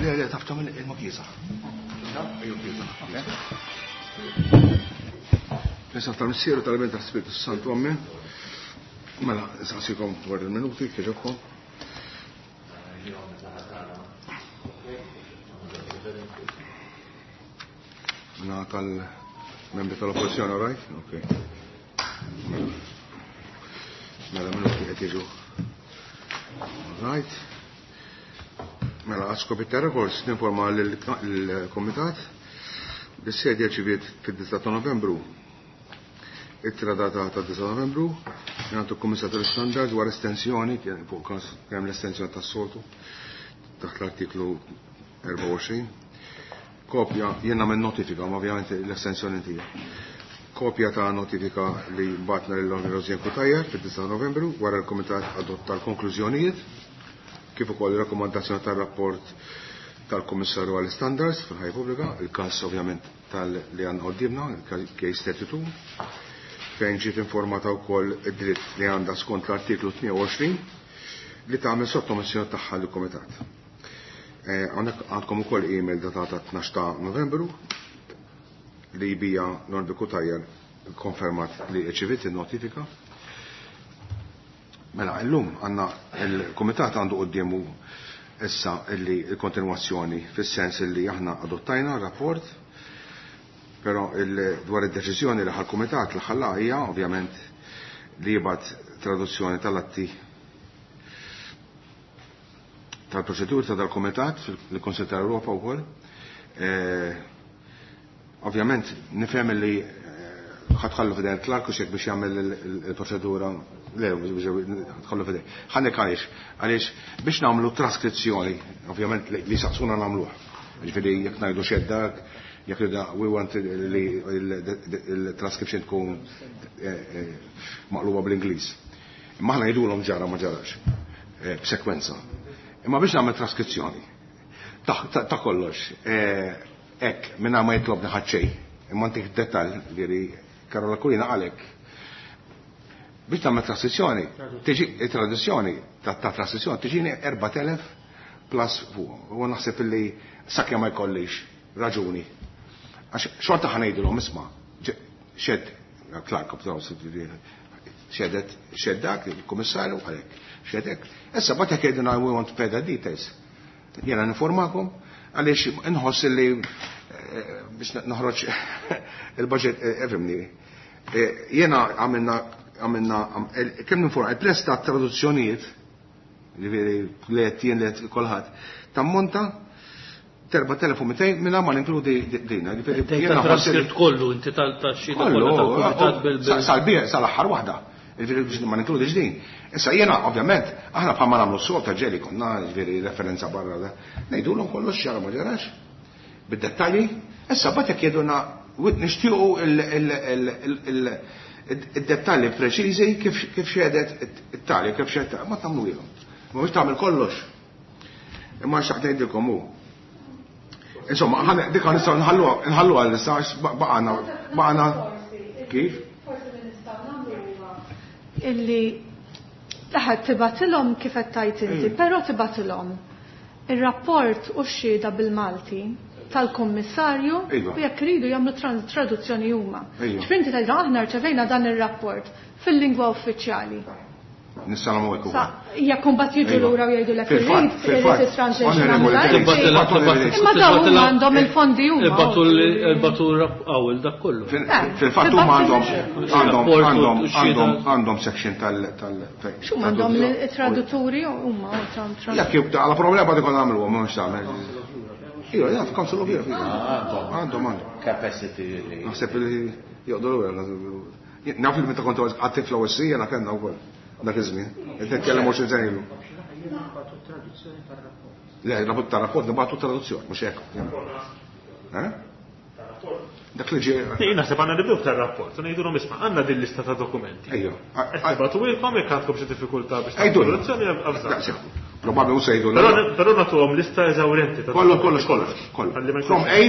Le, le, taf tagħmel ilma kiesaħ. Ejju kiesaħ. Nisa tal-Missieru tal-Iben tal-Spiritu Santu, Amen. Mela, nsaqsikom dwar il-minuti, kieġobkom. Mela tal-membri tal-oppozizjoni, all right? Ok. Mela, mela minuti qed jiġu. All right. Mela, għal skopi ta' records ninforma lill-Kumitat li s-sedja rċiviet fid-9 ta' Novembru ittra datata 9 Novembru mingħand il-Kummissar tal-Istandards dwar estensjoni fuq każ kemm l-estensjoni tas-soltu taħt l-artiklu 24. Kopja jien nagħmel notifika, ma ovvjament l-estensjoni tiegħi. Kopja ta' notifika li batna lil Onorevoli Rosianne Cutajar fid-9 Novembru wara l-Kumitat adotta l-konklużjonijiet kif ukoll ir-rakkomandazzjoni tar-rapport tal-Kummissarju għall-Istandards fil-Ħajja Pubblika, il-każ ovvjament tal li għandna quddiemna, il-case 32, fejn ġiet informata wkoll id-dritt li għandha skont l-artiklu 28 li tagħmel sottomissjoni tagħha lill-Kumitat. Hawnhekk għandkom ukoll email datata 12 ta' Novembru li bija Norbi Cutajar konfermat li rċeviet in-notifika. Mela, illum għandna il-Kumitat għandu quddiemu issa illi il-kontinwazzjoni fis-sens illi aħna adottajna rapport, però dwar id-deċiżjoni li ħal-Kumitat li ħalla hija ovvjament li jibgħat traduzzjoni tal-atti tal-proċedur ta' dal-Kumitat fil-Kunsill tal-Ewropa wkoll. Ovvjament nifhem li ħatħallu f'idejn il-Clark u xek biex jagħmel il-proċedura le ħatħallu f'idejn. Ħanek għaliex għaliex biex nagħmlu traskrizzjoni, ovvjament li saqsuna nagħmluha. Ġifieri jekk ngħidu xeddak, jekk da we want li il-transcription tkun maqluba bl-Ingliż. Imma aħna ngħidulhom ġara ma ġarax b'sekwenza. Imma biex nagħmel traskrizzjoni ta' kollox hekk mingħajr ma jitlobni ħadd xejn, imma ntik dettall li Karola Kulina qalek. Biex tagħmel traskrizzjoni, tiġi traduzzjoni ta' traskrizzjoni tiġini 4000 plus fuq. U naħseb illi sakemm ma jkollix raġuni. Għax xorta ħa ngħidilhom isma' xed Clark xedet xeddak il-kummissarju għalhekk xedek. Issa bagħad jekk jgħidulna we want further details. Jiena ninformakom għaliex inħoss li biex noħroġ il-budget efimni. Jiena għamilna għamilna kemm ninforma il-prezz ta' traduzzjonijiet ġifieri li qed jien li qed kulħadd tammonta 4200 minn ma ninkludi dina. Ġifieri jiena transkript kollu inti tal-xhieda kollha tal-kumitat bil sal-bir sal-aħħar waħda. Ġifieri biex ma ninkludix din. Issa jiena ovvjament aħna bħalma nagħmlu s ta' ġeli konna ġifieri referenza barra da. Ngħidulhom kollox xara ma ġarax bid-dettalji. Issa bagħad jekk jgħidulna nixtiequ id-dettalji preċiżi kif xedet it-tali, kif xedet ma tagħmluhom. Ma biex tagħmel kollox. Imma xtaqt ngħidilkom hu. Insomma, dik nistgħu nħalluha issa baqgħna baqgħna kif? Forsi li nistgħu nagħmlu huwa illi taħat tibgħatilhom kif qed tgħid inti, però tibgħatilhom ir-rapport u x-xhieda bil-Malti tal-kummissarju u jekk iridu jagħmlu traduzzjoni huma. Ġifieri inti tgħidilhom aħna rċevejna dan ir-rapport fil-lingwa uffiċjali. Nistgħu nagħmlu hekk ukoll. Jekk imbagħad jiġu lura u jgħidulek irrid irrid it-translation Imma dawn huma għandhom il-fondi huma. Ibatu għawel dak kollu. Fil-fatt huma għandhom għandhom għandhom għandhom section tal tal X'huma għandhom it-tradutturi huma Jekk jibda għala problema dik nagħmlu mhux tagħmel. Iva, jaf, Council of Europe. Għandhom għandhom. Capacity li. Naħseb li joqogħdu lura. Naf li meta kont għattif l-OSC jiena kellna wkoll dak iż-żmien. Qed nitkellem 20 sena ilu. Le, rapport ta' rapport nibgħatu traduzzjoni, mhux hekk. Eh? Dak li ġie. Jien naħseb għandna nibdew tar-rapport u ngħidulhom isma' għandna din lista ta' dokumenti. Ejja. Qed nibgħatuhielkom jekk għandkom xi diffikultà biex tagħmlu traduzzjoni avżat. Probabbli mhux se jgħidu. Però nagħtuhom lista eżawrjenti ta' Kollox, kollox, kollox, kollox. From A,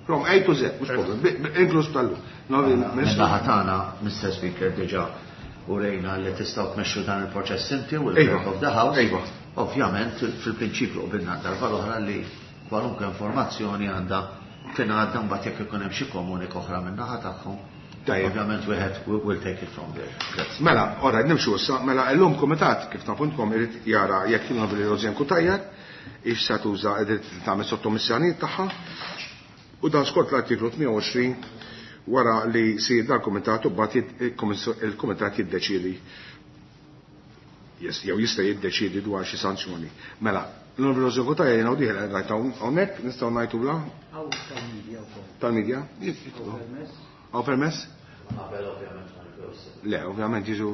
from A to Z, mhux problem, inkluż tal-lum. Min-naħa tagħna, Mr. Speaker, diġà urejna li tistgħu tmexxu dan il-proċess inti u l-Clerk of the House. Ovvjament, fil-prinċipju qbilna darba l-oħra li Kwalunkwe informazzjoni għandha tingħadda mbagħad jekk ikun hemm xi komunika oħra min-naħa tagħhom. Ovvjament wieħed will take it from there. Grazzi. Mela, ora nimxu issa, mela llum kumitat kif tafuntkom irid jara jekk l-Onorevoli Rosianne Cutajar ix se tuża id-dritt li tagħmel sottomissjonijiet tagħha. U dan skont l-artiklu 28 wara li jsir dan kumitat u mbagħad il-kumitat jiddeċiedi jew jista' jiddeċiedi dwar xi sanzjoni. Mela, l-Onorevoli Rosianne Cutajar jiena u dieħel rajt hawnhekk nistgħu ngħidulha? Hawn tal-medja wkoll. Tal-medja? Hawn permess? Hawn permess? Qabel ovvjament ma nibdew. Le, ovvjament jiġu.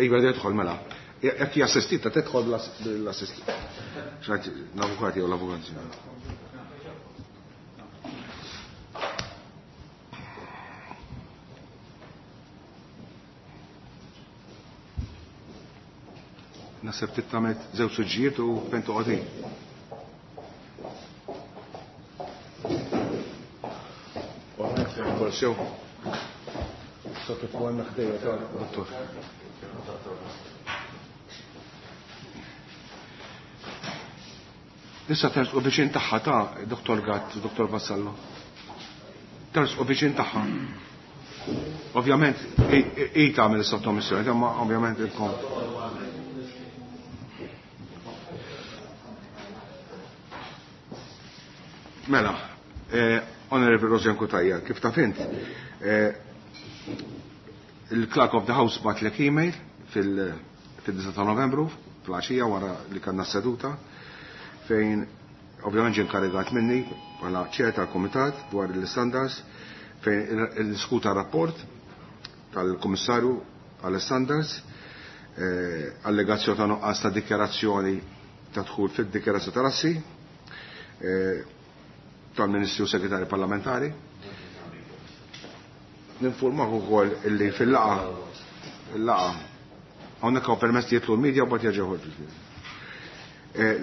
Iva, tidħol mela. Jekk hija assistita tidħol bl-assistita. X'ngħid l-avukat jew l-avukat. Naħseb tittamet żewġ suġġijiet u fejn toqgħod. Sew. Sotto fuq għandna ħdejja ta' dottor. Issa tersqu viċin tagħha ta' Dottor Gatt, Dottor Vassallo. Tersqu viċin tagħha. Ovvjament hi tagħmel is-sottomissjoni, imma ovvjament ilkom. Mela, Honorable Rosianne Cutajar, kif taf int, il-Clerk of the House batlek email fil-9 ta' Novembru, fl-għaxija wara li kellna seduta, fejn ovvjament ġie inkarigat minni bħala chair tal-Kumitat dwar l-standards, fejn il-diskuta rapport tal-Kummissarju għall-standards, allegazzjoni ta' nuqqas ta' dikjarazzjoni ta' dħul fid-dikjarazzjoni tal-assi, tal-Ministri u Segretari Parlamentari. Ninformak ukoll illi fil-laqa hawnhekk hawn permess li jitlu l-medja u mbagħad jerġgħu joħorġu.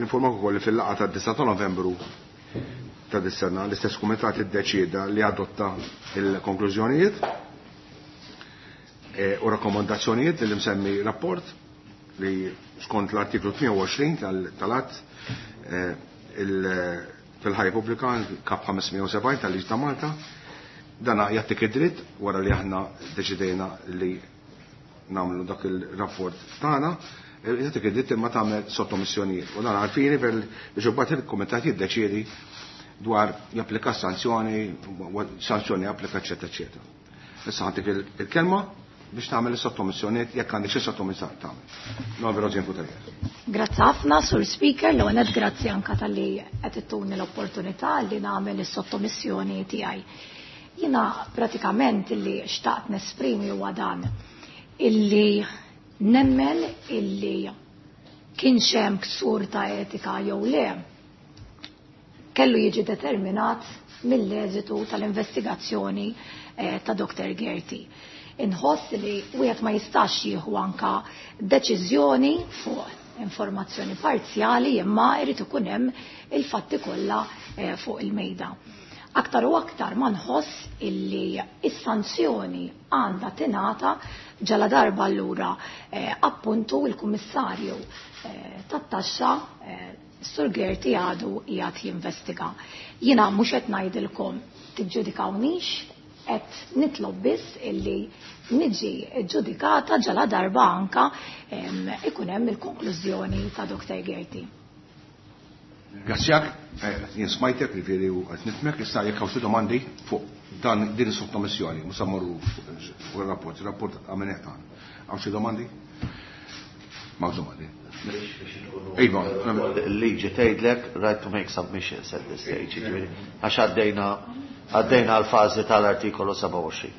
Ninformak ukoll li fil-laqa tad-9 ta' Novembru ta' dis-sena l-istess kumitat iddeċieda li adotta il-konklużjonijiet u rakkomandazzjonijiet li msemmi rapport li skont l-artiklu 28 tal-att fil-ħajja pubblika kap 570 tal-Liġi ta' Malta, dana jagħtik id-dritt wara li aħna deċidejna li nagħmlu dak il-rapport tagħna, jagħtik id-dritt imma tagħmel sottomissjonijiet. U dan għalfini biex imbagħad il-kumitat jiddeċiedi dwar japplika sanzjoni, sanzjoni japplika, eċetera, eċetera. Issa ħantik il-kelma biex tagħmel is-sottomissjonijiet jekk għandek xi sottomissjoni tagħmel. No, vera ġien Cutajar. Grazzi ħafna, Sur Speaker, l għonet grazzi anka tal-li qed ittuni l-opportunità li nagħmel is-sottomissjoni tiegħi. Jiena pratikament illi xtaqt nesprimi huwa dan illi nemmen illi kienx hemm ksur ta' etika jew le kellu jiġi determinat mill-eżitu tal-investigazzjoni ta' Dr. Gaerty. Inħoss li wieħed ma jistax jieħu anka deċiżjoni fuq informazzjoni parzjali imma jrid ikun hemm il-fatti kollha fuq il-mejda. Aktar u aktar ma nħoss illi is-sanzjoni għandha tingħata ġala darba allura appuntu il-Kummissarju tat-taxxa Sur Gaerty għadu qiegħed jinvestiga. Jiena mhux qed ngħidilkom tiġġudikawnix, qed nitlob biss illi niġi ġudikata ġala darba anka ikun hemm il-konklużjoni ta' Dr. Gaerty. Grazzjak, jien smajtek, jiġifieri u qed nifhmek, issa jekk hawn xi domandi fuq dan din is-sottomissjoni, mhux se mmorru fuq ir-rapport, ir-rapport għamilnieh tagħna. Hawn xi domandi? M'hawnx domandi. Iva, il-liġi tgħidlek right to make submissions at this stage, jiġifieri għax għaddejna għal fażi tal-artikolu 27.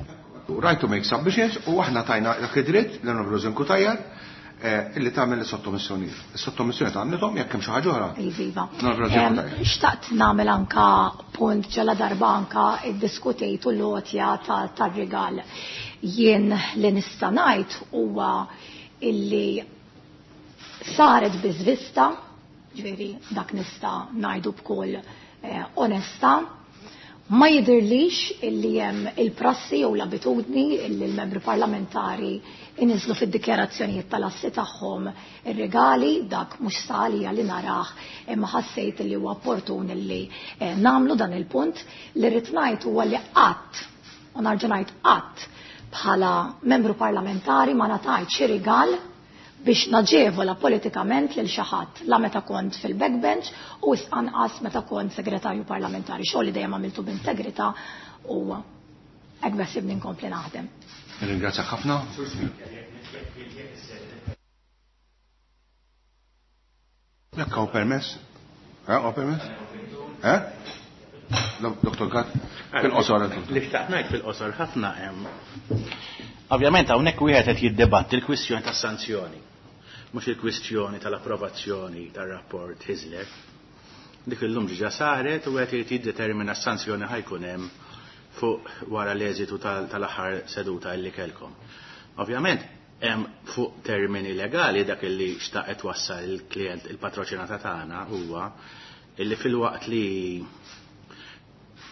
Right to make submissions u aħna tajna dak id-dritt l-Onorevoli Rosianne Cutajar illi tagħmel is-sottomissjonijiet. Is-sottomissjoni tagħmlithom jekk hemm xi ħaġa oħra. Iva, iva. L-Onorevoli Rosianne Cutajar. Xtaqt nagħmel anka punt ġala darba anka iddiskutejtu l-għotja tar-rigal. Jien li nista' ngħid huwa illi saret biżvista, ġifieri dak nista' ngħidu b'kull onesta, Ma jidhirlix illi hemm il-prassi jew l-abitudni illi l-membri parlamentari iniżlu fid-dikjarazzjonijiet tal-assi tagħhom ir-regali, dak mhux salija li narah, imma ħassejt li huwa opportun illi nagħmlu dan il-punt. Li rrid ngħid huwa li qatt, u narġa' ngħid qatt, bħala membru parlamentari ma ngħatajt xi rigal biex naġevola politikament lil xi ħadd, la meta kont fil-backbench u anqas meta kont segretarju parlamentari. Xogħol li dejjem għamiltu b'integrità u hekk beħsibni nkompli naħdem. Ringrazzjak ħafna. Jekk hawn permess? Hawn permess? Dr. Gatt, fil-qosor. Li xtaqt ngħid fil-qosor ħafna hemm. Ovvjament hawnhekk wieħed qed jiddebatti l-kwistjoni tas-sanzjoni, mhux il-kwistjoni tal-approvazzjoni tar-rapport Hyzler. Dik illum ġiġa saret u qed irid jiddetermina s-sanzjoni ħajkun hemm fuq wara l-eżitu tal-aħħar seduta illi kellkom. Ovvjament hemm fuq termini legali dak illi xtaqet wassal il-klient il-patroċinata tagħna huwa illi fil-waqt li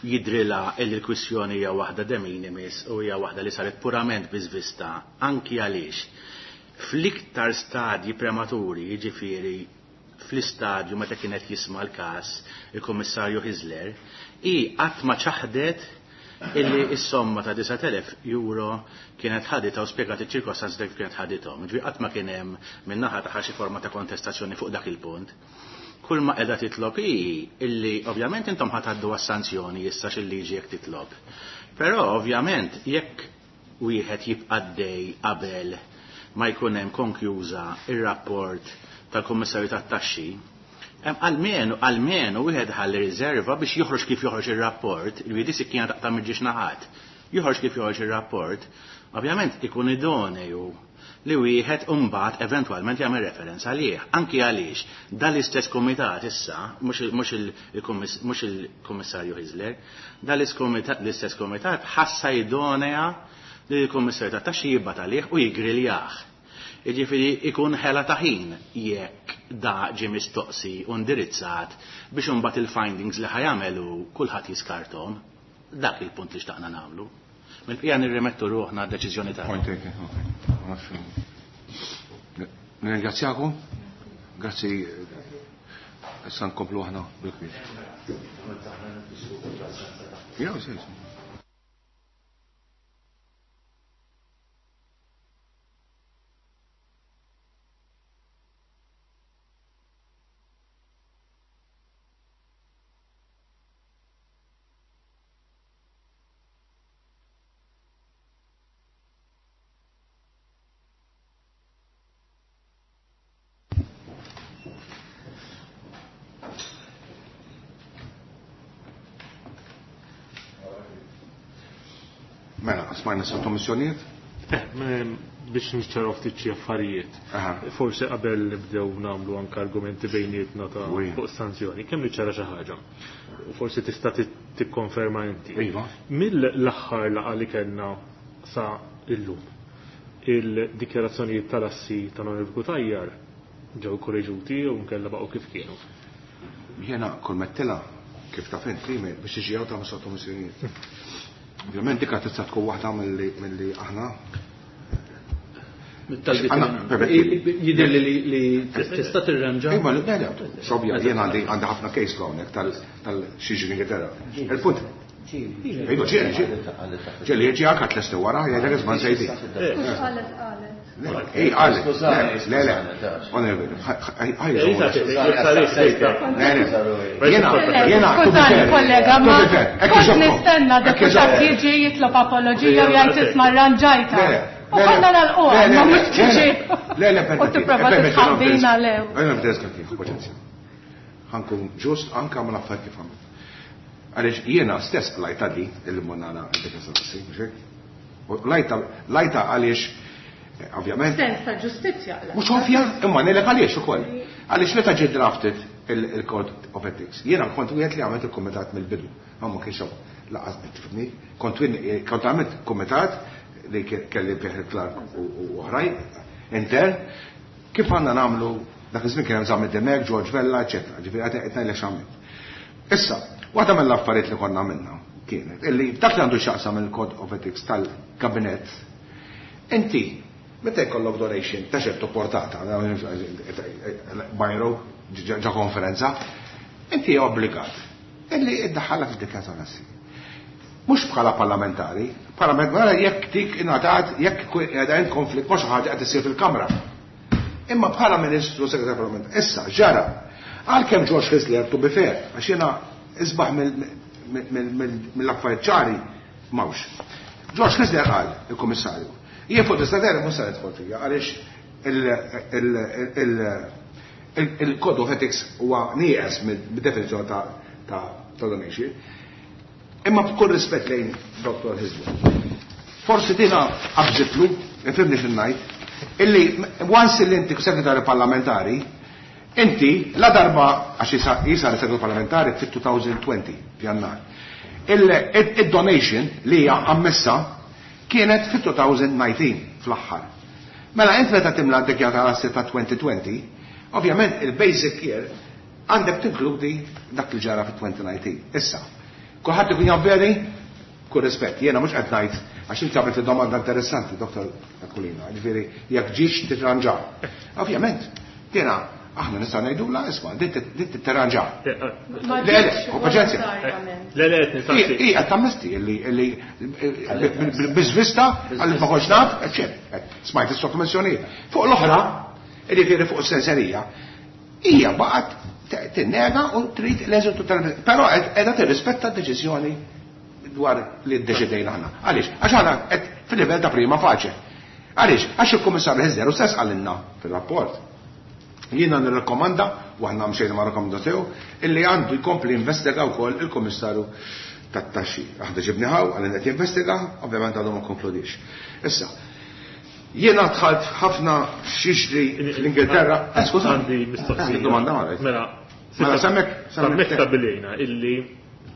jidrila illi l-kwistjoni hija waħda de minimis u hija waħda li saret purament biżvista anki għaliex fl-iktar stadji prematuri, jiġifieri fl-istadju meta kienet jisma' l-każ il-Kummissarju Hyzler, hi qatt ma ċaħdet illi s-somma ta' 9,000 euro kienet ħaditha u spjegat iċ-ċirkostanzi ta' kif kienet ħadithom. Ġifieri qatt ma kien hemm min-naħa tagħha xi forma ta' kontestazzjoni fuq dak il-punt. Kull ma qiegħda titlob hi illi ovvjament intom ħa tgħaddu għas-sanzjoni issa x'il-liġi jekk titlob. Però ovvjament jekk wieħed jibqa' għaddej qabel ma jkun hemm konkjuża ir-rapport tal-Kummissarju tat-Taxxi, hemm almenu wieħed ħalli riserva biex joħroġ kif joħroġ ir-rapport, il-wiedi sikkina taqta' mill-ġiex naħat. Joħroġ kif joħroġ ir-rapport, ovvjament ikun idoneu li wieħed imbagħad eventwalment jagħmel referenza għalih. Anki għaliex dal-istess kumitat issa, mhux il-Kummissarju Hyzler, dal-istess kumitat ħassa idonea li l-Kummissarju tat-Taxxi jibgħat għalih u jigriljah. Jiġifieri ikun ħela ta' ħin jekk da ġie mistoqsi u indirizzat biex imbagħad il-findings li ħajamelu kulħadd jiskarthom. Dak il-punt li xtaqna nagħmlu. Mill-bqija nirrimettu ruħna d-deċiżjoni tagħna. Point taken, okay. Nirringrazzjakom. Grazzi. Issa nkomplu aħna bil-kbir. Ja, sì, sì. Mela, smajna sottomissjonijiet? Biex nixċaraw ftit xi affarijiet. Forsi qabel nibdew nagħmlu anke argumenti bejnietna ta' fuq sanzjoni, kemm niċċara xi ħaġa. U forsi tista' tikkonferma inti. Mill-aħħar laqgħa li kellna sa illum, il-dikjarazzjonijiet tal-assi ta' Onorevoli Cutajar ġew korreġuti u nkella baqgħu kif kienu. Jiena kull mettila kif taf inti biex tiġi hawn tagħmel sottomissjonijiet. Ovvjament dik tista' tkun waħda milli aħna. Jidher li tista' tirranġa. Iva, le, le, xobja, jien għandi ħafna case law hawnhekk tal-xi ġri Ingilterra. Il-punt. Iva, ġieli, ġieli. Ġieli, ġieli anke tlesti wara, jgħidlek isma' nsejti. Qalet, qalet. Ej, qalet. Le, le, le. Jiena, jiena, Skużani, kollega, ma kont nistenna deputat jiġi jitlob apoloġija u jgħid isma' rranġajta. U konna nagħlquha, ma mhux tiġi. Le, le, U tipprova titħabbina lew. Ejja, nibda paċenzja. Ħankun ġust anke ma nafx kif għamilt. Għaliex jiena stess lajta di il-monana għandek mhux hekk? U lajta għaliex ovvjament. Sens ta' ġustizzja, la. Mhux ovvja, imma ngħidlek għaliex ukoll. Għaliex meta ġie drafted il-Code of Ethics, jiena kont wieħed li għamilt il-kumitat mill-bidu. Ma ma kienx hawn laqas tifhimni, kont għamilt kumitat li kelli Peter Clark u oħrajn intern, kif għandna nagħmlu dak iż-żmien kien hemm Zammit Dimech, George Vella, eċetera. Ġifieri qed ngħidlek x'għamilt. Issa, waħda mill-affarijiet li konna għamilna. kienet illi dak li għandu x'jaqsam il-Code of Ethics tal-Kabinett, inti meta jkollok donation ta' ċertu portata, bajru ġa konferenza, inti obbligat illi iddaħħalha fid-dikjarazzjoni assi. Mhux bħala parlamentari, parlamentari jekk dik ingħatat jekk qiegħda in konflitt ma' xi ħaġa qed issir fil-Kamra. Imma bħala Ministru Segretarju Parlamentari, issa ġara, għalkemm George Hyzler to be fair, għax jiena isbaħ mill-affarijiet ċari m'hawnx. George Hyzler qal, il-Kummissarju, jien fuq tista' mhux se nidħol fija għaliex il-Code of Ethics huwa nieqes mid-definizzjoni ta' donation. Imma b'kull rispett lejn Dr. Hyzler. Forsi dina qabżitlu, ifhimni xi ngħid, illi once li inti segretarju parlamentari, inti la darba għax jisar segretarju parlamentari fit-2020 f'Jannar. Il-donation li hija ammessa kienet fit-2019 fl-aħħar. Mela int meta timla d-dikjarazzjoni ta' 2020, ovvjament il-basic year għandek tinkludi dak li ġara fit-2019. Issa, kulħadd ikun jaf veri, kull rispett, jiena mhux qed ngħid għax inti għamilt domanda interessanti, Dr. Aquilina, ġifieri jekk ġiex titranġa. Ovvjament, jiena aħna nista' ngħidula isma' din titranġa. Le, le, paċenzja. Le, le, qed nistaqsi. Hi qed tammesti li biżvista għal ma kontx naf, eċċetera. Smajt is-sottomissjonijiet. Fuq l-oħra, jiġifieri fuq is-senserija, hija baqgħet tinnega u trid l-eżitu tal Però qiegħda tirrispetta d-deċiżjoni dwar li ddeċidejna aħna. Għaliex? Għax aħna qed fil-livell ta' prima facie. Għaliex? Għax il-Kummissarju Hyzler u stess qalilna fil-rapport. Jiena nirrakkomanda, u aħna mxejna ma' rakkomanda tiegħu, illi għandu jkompli investiga wkoll il-Kummissarju tat-taxxi. Aħna ġibni ħaw, għalli qed jinvestiga, ovvjament għadu ma konkludix. Issa, jiena dħalt ħafna x'jiġri fl-Ingilterra. Skuża. Għandi mistoqsija. Domanda għalek. Mela, Mela, semmek, semmek stabbilejna illi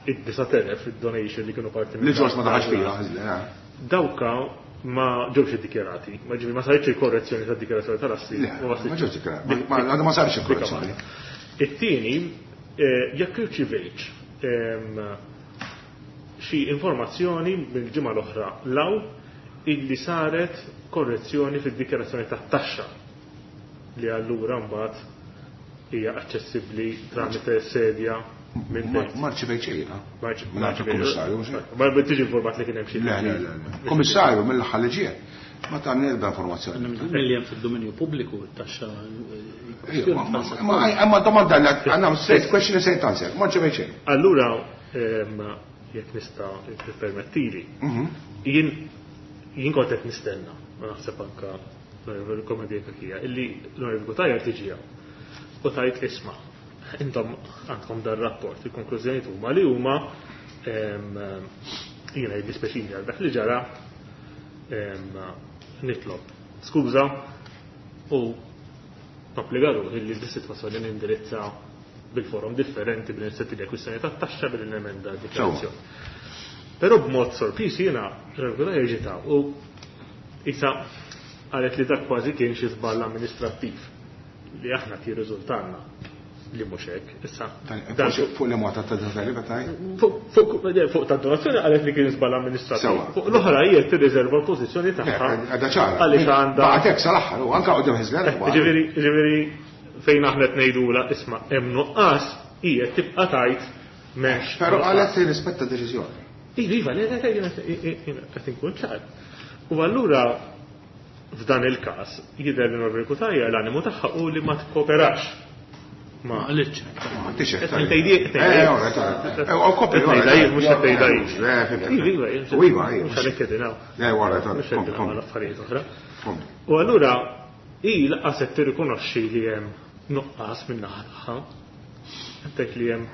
id-9,000 id-donation li kienu parti Li George ma daħalx fiha. Dawka ma ġewx iddikjarati, ma ġifi ma saritx il-korrezzjoni tad-dikjarazzjoni tal-assi. Ma ġewx iddikjarati, ma sarx il-korrezzjoni. It-tieni, jekk irċivejtx xi informazzjoni mill-ġimgħa l-oħra law illi saret korrezzjoni fid-dikjarazzjoni tat-taxxa li allura mbagħad hija aċċessibbli tramite sedja minn Ma rċivejt xejn, Minn kummissarju. Ma tiġi informat li kien hemm xi. Le, le, le. Kummissarju mill-aħħar li ġie. Ma tani ebda informazzjoni. Milli hemm fid-dominju pubbliku t-taxxa. Ma domanda li għandna straight question straight answer. Ma rċivejt xejn. Allura jekk nista' tippermettili, jien kont qed nistenna, ma naħseb anka l-komedija kakija, illi l-Onorevoli Cutajar tiġi hawn u tajt isma' intom għandkom dar rapport, il-konklużjoni huma li huma jiena jiddispjaċini għal dak li ġara nitlob skuża u nobbliga ruħi li di-sitwazzjoni nindirizza bil-forum differenti bil-inizjattivi kwistjoni tat-taxxa bil-emenda dikjarazzjoni. Però b'mod sorpriż jiena regolari ġita u isa qalet li dak kważi kien xi żball amministrattiv li aħna ti riżultanna li mhux hekk. Issa fuq li mota ta' donazzjoni taj? Fuq ta' donazzjoni qalet li kien żball amministrattiv. Fuq l-oħra hija tirriżerva l-pożizzjoni tagħha. Għadha ċara. Għaliex għandha. Baqgħet hekk sal-aħħar u anke qudiem Hyzler. Ġifieri fejn aħna qed ngħidula isma' hemm nuqqas hija tibqa' tajt m'hemmx. Però qalet li rispetta d-deċiżjoni. Iva, le, le, qed inkun ċar. U allura f'dan il-każ jidher li Norbert Cutajar l-animu tagħha u li ma tkooperax. Ma qalitx. Ma qalitx. Qed ngħidha jien mhux qed ngħidha jien. Iva, iva. Mhux għalhekk qegħdin hawn. Le, wara, Mhux qegħdin hawn affarijiet oħra. U allura hi lanqas qed tirrikonoxxi li hemm nuqqas min-naħa tagħha. Qed li hemm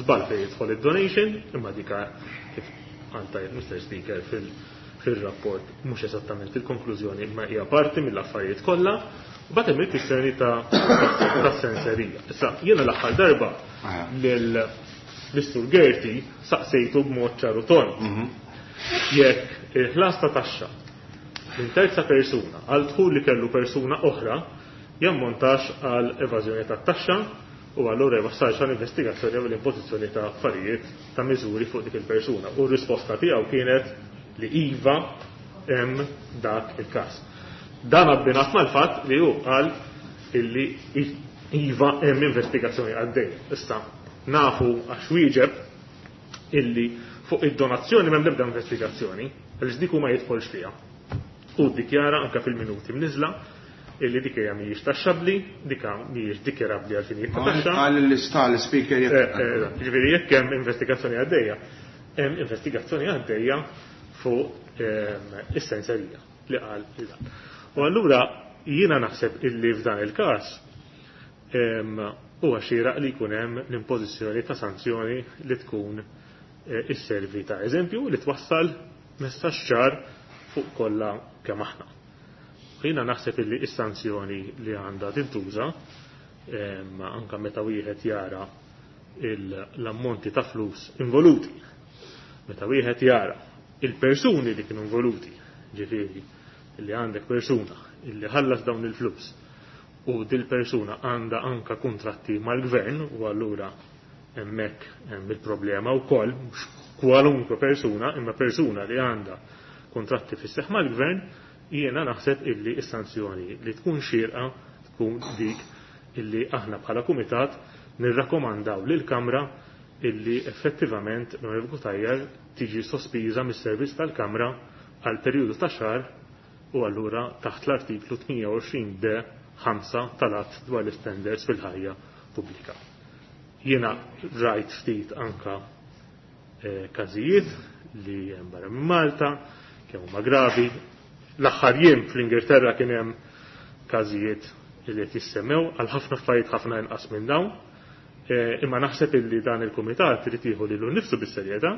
żball fejn jidħol id-donation, imma dika kif għal tajjeb Mr. Speaker fil-rapport mhux eżattament il-konklużjoni imma hija parti mill-affarijiet kollha. U bagħad hemm il-kwistjoni ta' senserija. Issa jiena l-aħħar darba lil Mr. Gaerty saqsejtu b'mod ċaru tond. Jekk il-ħlas ta' taxxa minn terza persuna għal dħul li kellu persuna oħra jammontax għal evażjoni tat-taxxa U allura jwassalx għal investigazzjoni jew l-impożizzjoni ta' affarijiet ta' miżuri fuq dik il-persuna. U r-risposta tiegħu kienet li iva hemm dak il-każ. Dan abbinat mal-fatt li hu qal illi iva hemm investigazzjoni għaddej. Issa nafu għax wieġeb illi fuq id-donazzjoni m'hemm l-ebda investigazzjoni, għaliex dik hu ma jidħolx fiha. U ddikjara anke fil-minuti mniżla illi dik hija mhijiex taxxabbli, dik mhijiex dikjarabbli għal finijiet ta' taxxa. Qal li sta l-Speaker jekk. Ġifieri jekk hemm investigazzjoni għaddejja, hemm investigazzjoni għaddejja fuq is-senserija li qal dan. U allura jiena naħseb illi f'dan il-każ huwa xieraq li jkun hemm l-impożizzjoni ta' sanzjoni li tkun isservi ta' eżempju li twassal messaġġ ċar fuq kollha kemm aħna. Jiena naħseb illi is-sanzjoni li għandha tintuża anke meta wieħed jara l-ammonti ta' flus involuti, meta wieħed jara il-persuni li kienu involuti, ġifieri li għandek persuna illi ħallas dawn il-flus u dil-persuna għandha anka kuntratti mal-gvern u allura hemmhekk hemm il-problema wkoll, mhux kwalunkwe persuna, imma persuna li għandha kuntratti fis-seħħ mal-gvern, jiena naħseb illi s-sanzjoni li tkun xierqa tkun dik illi aħna bħala kumitat nirrakkomandaw lill-Kamra illi effettivament l-Onorevoli Cutajar tiġi sospiża mis-servizz tal-Kamra għal perjodu ta' xahar u allura taħt l-artiklu 28 D 5 tal-att dwar l-standards fil-ħajja pubblika. Jiena rajt ftit anka każijiet li hemm barra minn Malta, kemm huma gravi. L-aħħar jiem fl-Ingilterra kien hemm każijiet li qed jissemmew għal ħafna affarijiet ħafna inqas minn dawn. Imma naħseb illi dan il-kumitat irid jieħu lilu nnifsu bis-serjetà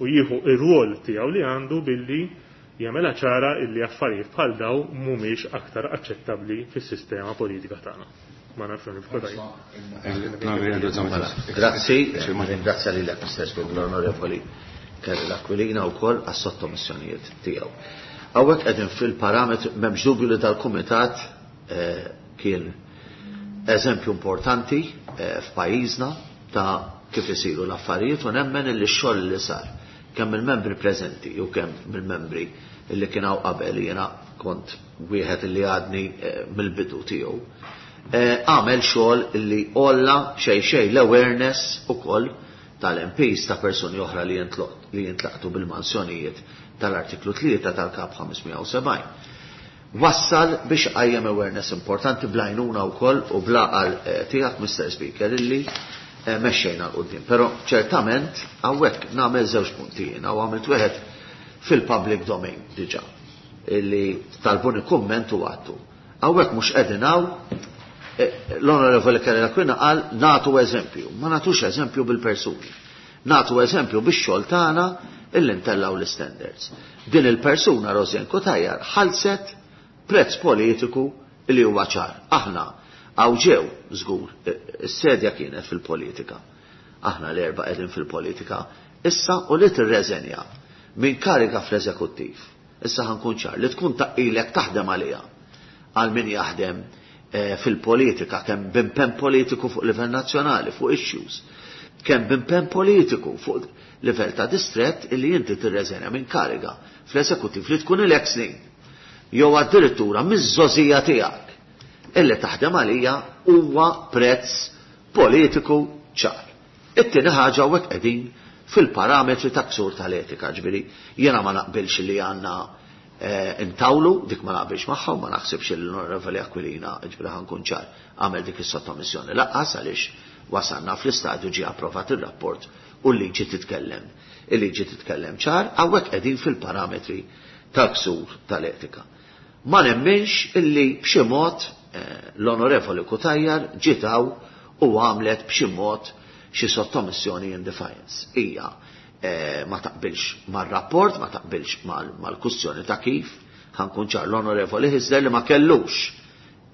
u jieħu ir-rwol tiegħu li għandu billi jagħmilha ċara illi affarijiet bħal daw mhumiex aktar aċċettabbli fis-sistema politika tagħna. Ma nafx nifqu tajjeb. Grazzi, ringrazzja lilek Mr. Speaker l-Onorevoli Karol Aquilina wkoll għas-sottomissjonijiet tiegħu. Hawnhekk qegħdin fil-parametri, m'hemmx dubju li dal-kumitat kien eżempju importanti f'pajjiżna ta' kif isiru l-affarijiet u nemmen li x-xogħol li sar kemm il-membri preżenti u kemm mill-membri li kien hawn qabel, jiena kont wieħed li għadni mill-bidu tiegħu, għamel xogħol li għolla xejn xejn l-awareness ukoll tal-M Ps ta' persuni oħra li jintlaqtu bil-mansjonijiet tal-artiklu 3 tal-Kap 570. Wassal biex qajjem awareness importanti bl-għajnuna wkoll u bl-għaqal tiegħek, Mr. Speaker, illi mexxejna l quddiem. Però ċertament hawnhekk nagħmel żewġ punti jiena u għamilt wieħed fil-public domain diġà illi talbuni kumment u għattu. Hawnhekk mhux qegħdin hawn l-Onorevoli Karol Aquilina qal nagħtu eżempju, ma nagħtux eżempju bil-persuni. Nagħtu eżempju bix-xogħol tagħna illi ntellgħu l-standards. Din il-persuna Rosianne Cutajar ħallset prezz politiku li huwa ċar. Aħna hawn ġew żgur, is-sedja kienet fil-politika. Aħna l-erba' qegħdin fil-politika issa u li tirreżenja minn kariga fl-eżekuttiv. Issa ħankun ċar li tkun taqilek taħdem għaliha għal min jaħdem fil-politika, kemm b'impenn politiku fuq livell nazzjonali, fuq issues, kemm b'impenn politiku fuq livell ta' distrett illi inti tirreżenja minn kariga fl-eżekuttiv li tkun ilek snin. Jew addirittura miż-żożija tiegħek illi taħdem għalija huwa prezz politiku ċar. It-tieni ħaġa hawnhekk qegħdin fil-parametri ta' ksur tal-etika, ġifieri jiena ma naqbilx li għandna intawlu, dik ma naqbilx magħha u ma naħsibx li l-Onorevoli Aquilina, ġifieri ħankun ċar, għamel dik is-sottomissjoni laqqas għaliex wasalna fl-istadju ġie approvat ir-rapport u l-liġi titkellem. Il-liġi titkellem ċar, hawnhekk qegħdin fil-parametri tal-ksur tal-etika. Ma nemminx illi b'xi mod l-Onorevoli Cutajar ġiet hawn u għamlet b'xi mod xi sottomissjoni in defiance. Hija ma taqbilx mar-rapport, ma taqbilx mal-kwistjoni ta' kif, ħankun ċar l-Onorevoli Hyzler li ma kellux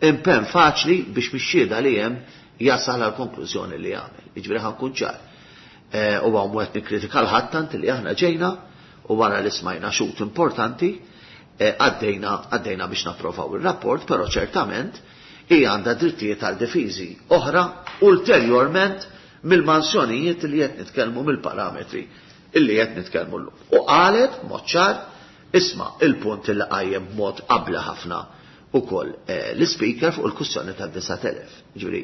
impenn faċli biex mix-xhieda li hemm jasal għal konklużjoni li għamel. Jiġifieri ħankun ċar. U hawn qed nikkritika l-ħadd tant li aħna ġejna u wara li smajna xhud importanti għaddejna biex napprovaw ir-rapport, però ċertament Hi għandha drittijiet għal difiżi oħra ulterjorment mill-mansjonijiet li qed nitkellmu mill-parametri illi qed nitkellmu llum. U qalet b'mod ċar, isma' il-punt illi qajjem b'mod abbli ħafna ukoll l-Ispeaker fuq il-kwistjoni tad-9,000. Jiġifieri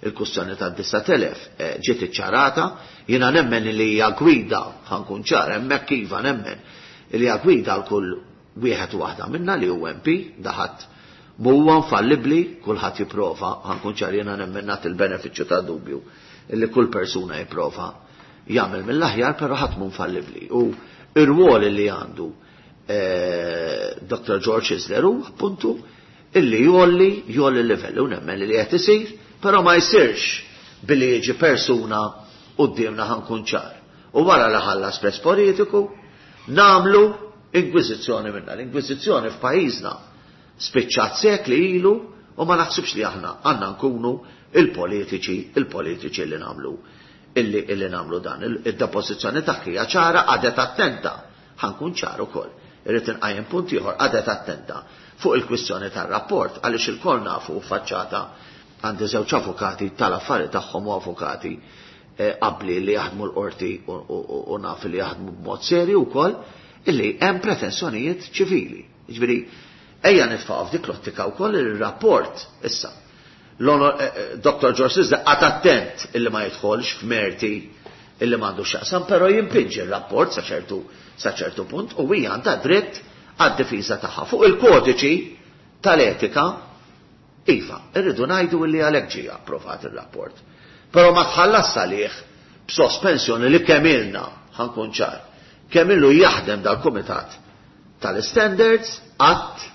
il-kwistjoni tad-9,000 ġiet iċċarata, jiena nemmen li hija gwida, ħa nkun ċar, hemmhekk iva nemmen li hija gwida għal kull wieħed u waħda minna li hu MP, da ħadd m'huwa infallibbli, kulħadd jipprova, ħa nkun ċar jiena nemmen nagħti l-benefiċċju tad-dubju illi kull persuna jipprova jagħmel mill-aħjar, però ħadd mhu infallibbli. U r-rwol li għandu Dr. George Isler hu appuntu illi jgħolli jgħolli l-livelli u nemmen li qed isir, però ma jsirx billi jiġi persuna quddiemna ħa nkun ċar. U wara li ħallas prezz politiku, nagħmlu inkwiżizzjoni minnha. L-inkwiżizzjoni f'pajjiżna spiċċat sekli ilu u ma naħsibx li aħna għandna nkunu il-politiċi, il-politiċi li nagħmlu illi illi nagħmlu dan. Id-depożizzjoni tagħha hija ċara, qagħdet attenta. Ħa nkun ċar ukoll. Irrid inqajjem punt ieħor, qagħdet attenta fuq il-kwistjoni tar-rapport għaliex ilkoll nafu faċċata għandi żewġ avukati tal-affari tagħhom u avukati abbli li jaħdmu l-qorti u naf li jaħdmu b'mod serju wkoll illi hemm pretensjonijiet ċivili. Jiġifieri ejja nitfgħu f'dik l-ottika wkoll ir-rapport issa. Dr. George Isler qagħad attent illi ma jidħolx f'merti illi m'għandux x'jaqsam, però jimpinġi r-rapport sa ċertu sa ċertu punt u hija għandha dritt għad-difiża tagħha. Fuq il-kodiċi tal-etika, iva, irridu ngħidu illi għalhekk ġie approvat ir-rapport. Però ma tħallas għalih b'sospensjoni li kemm ilna, ħa nkun ċar, kemm ilu jaħdem dal-kumitat tal-standards qatt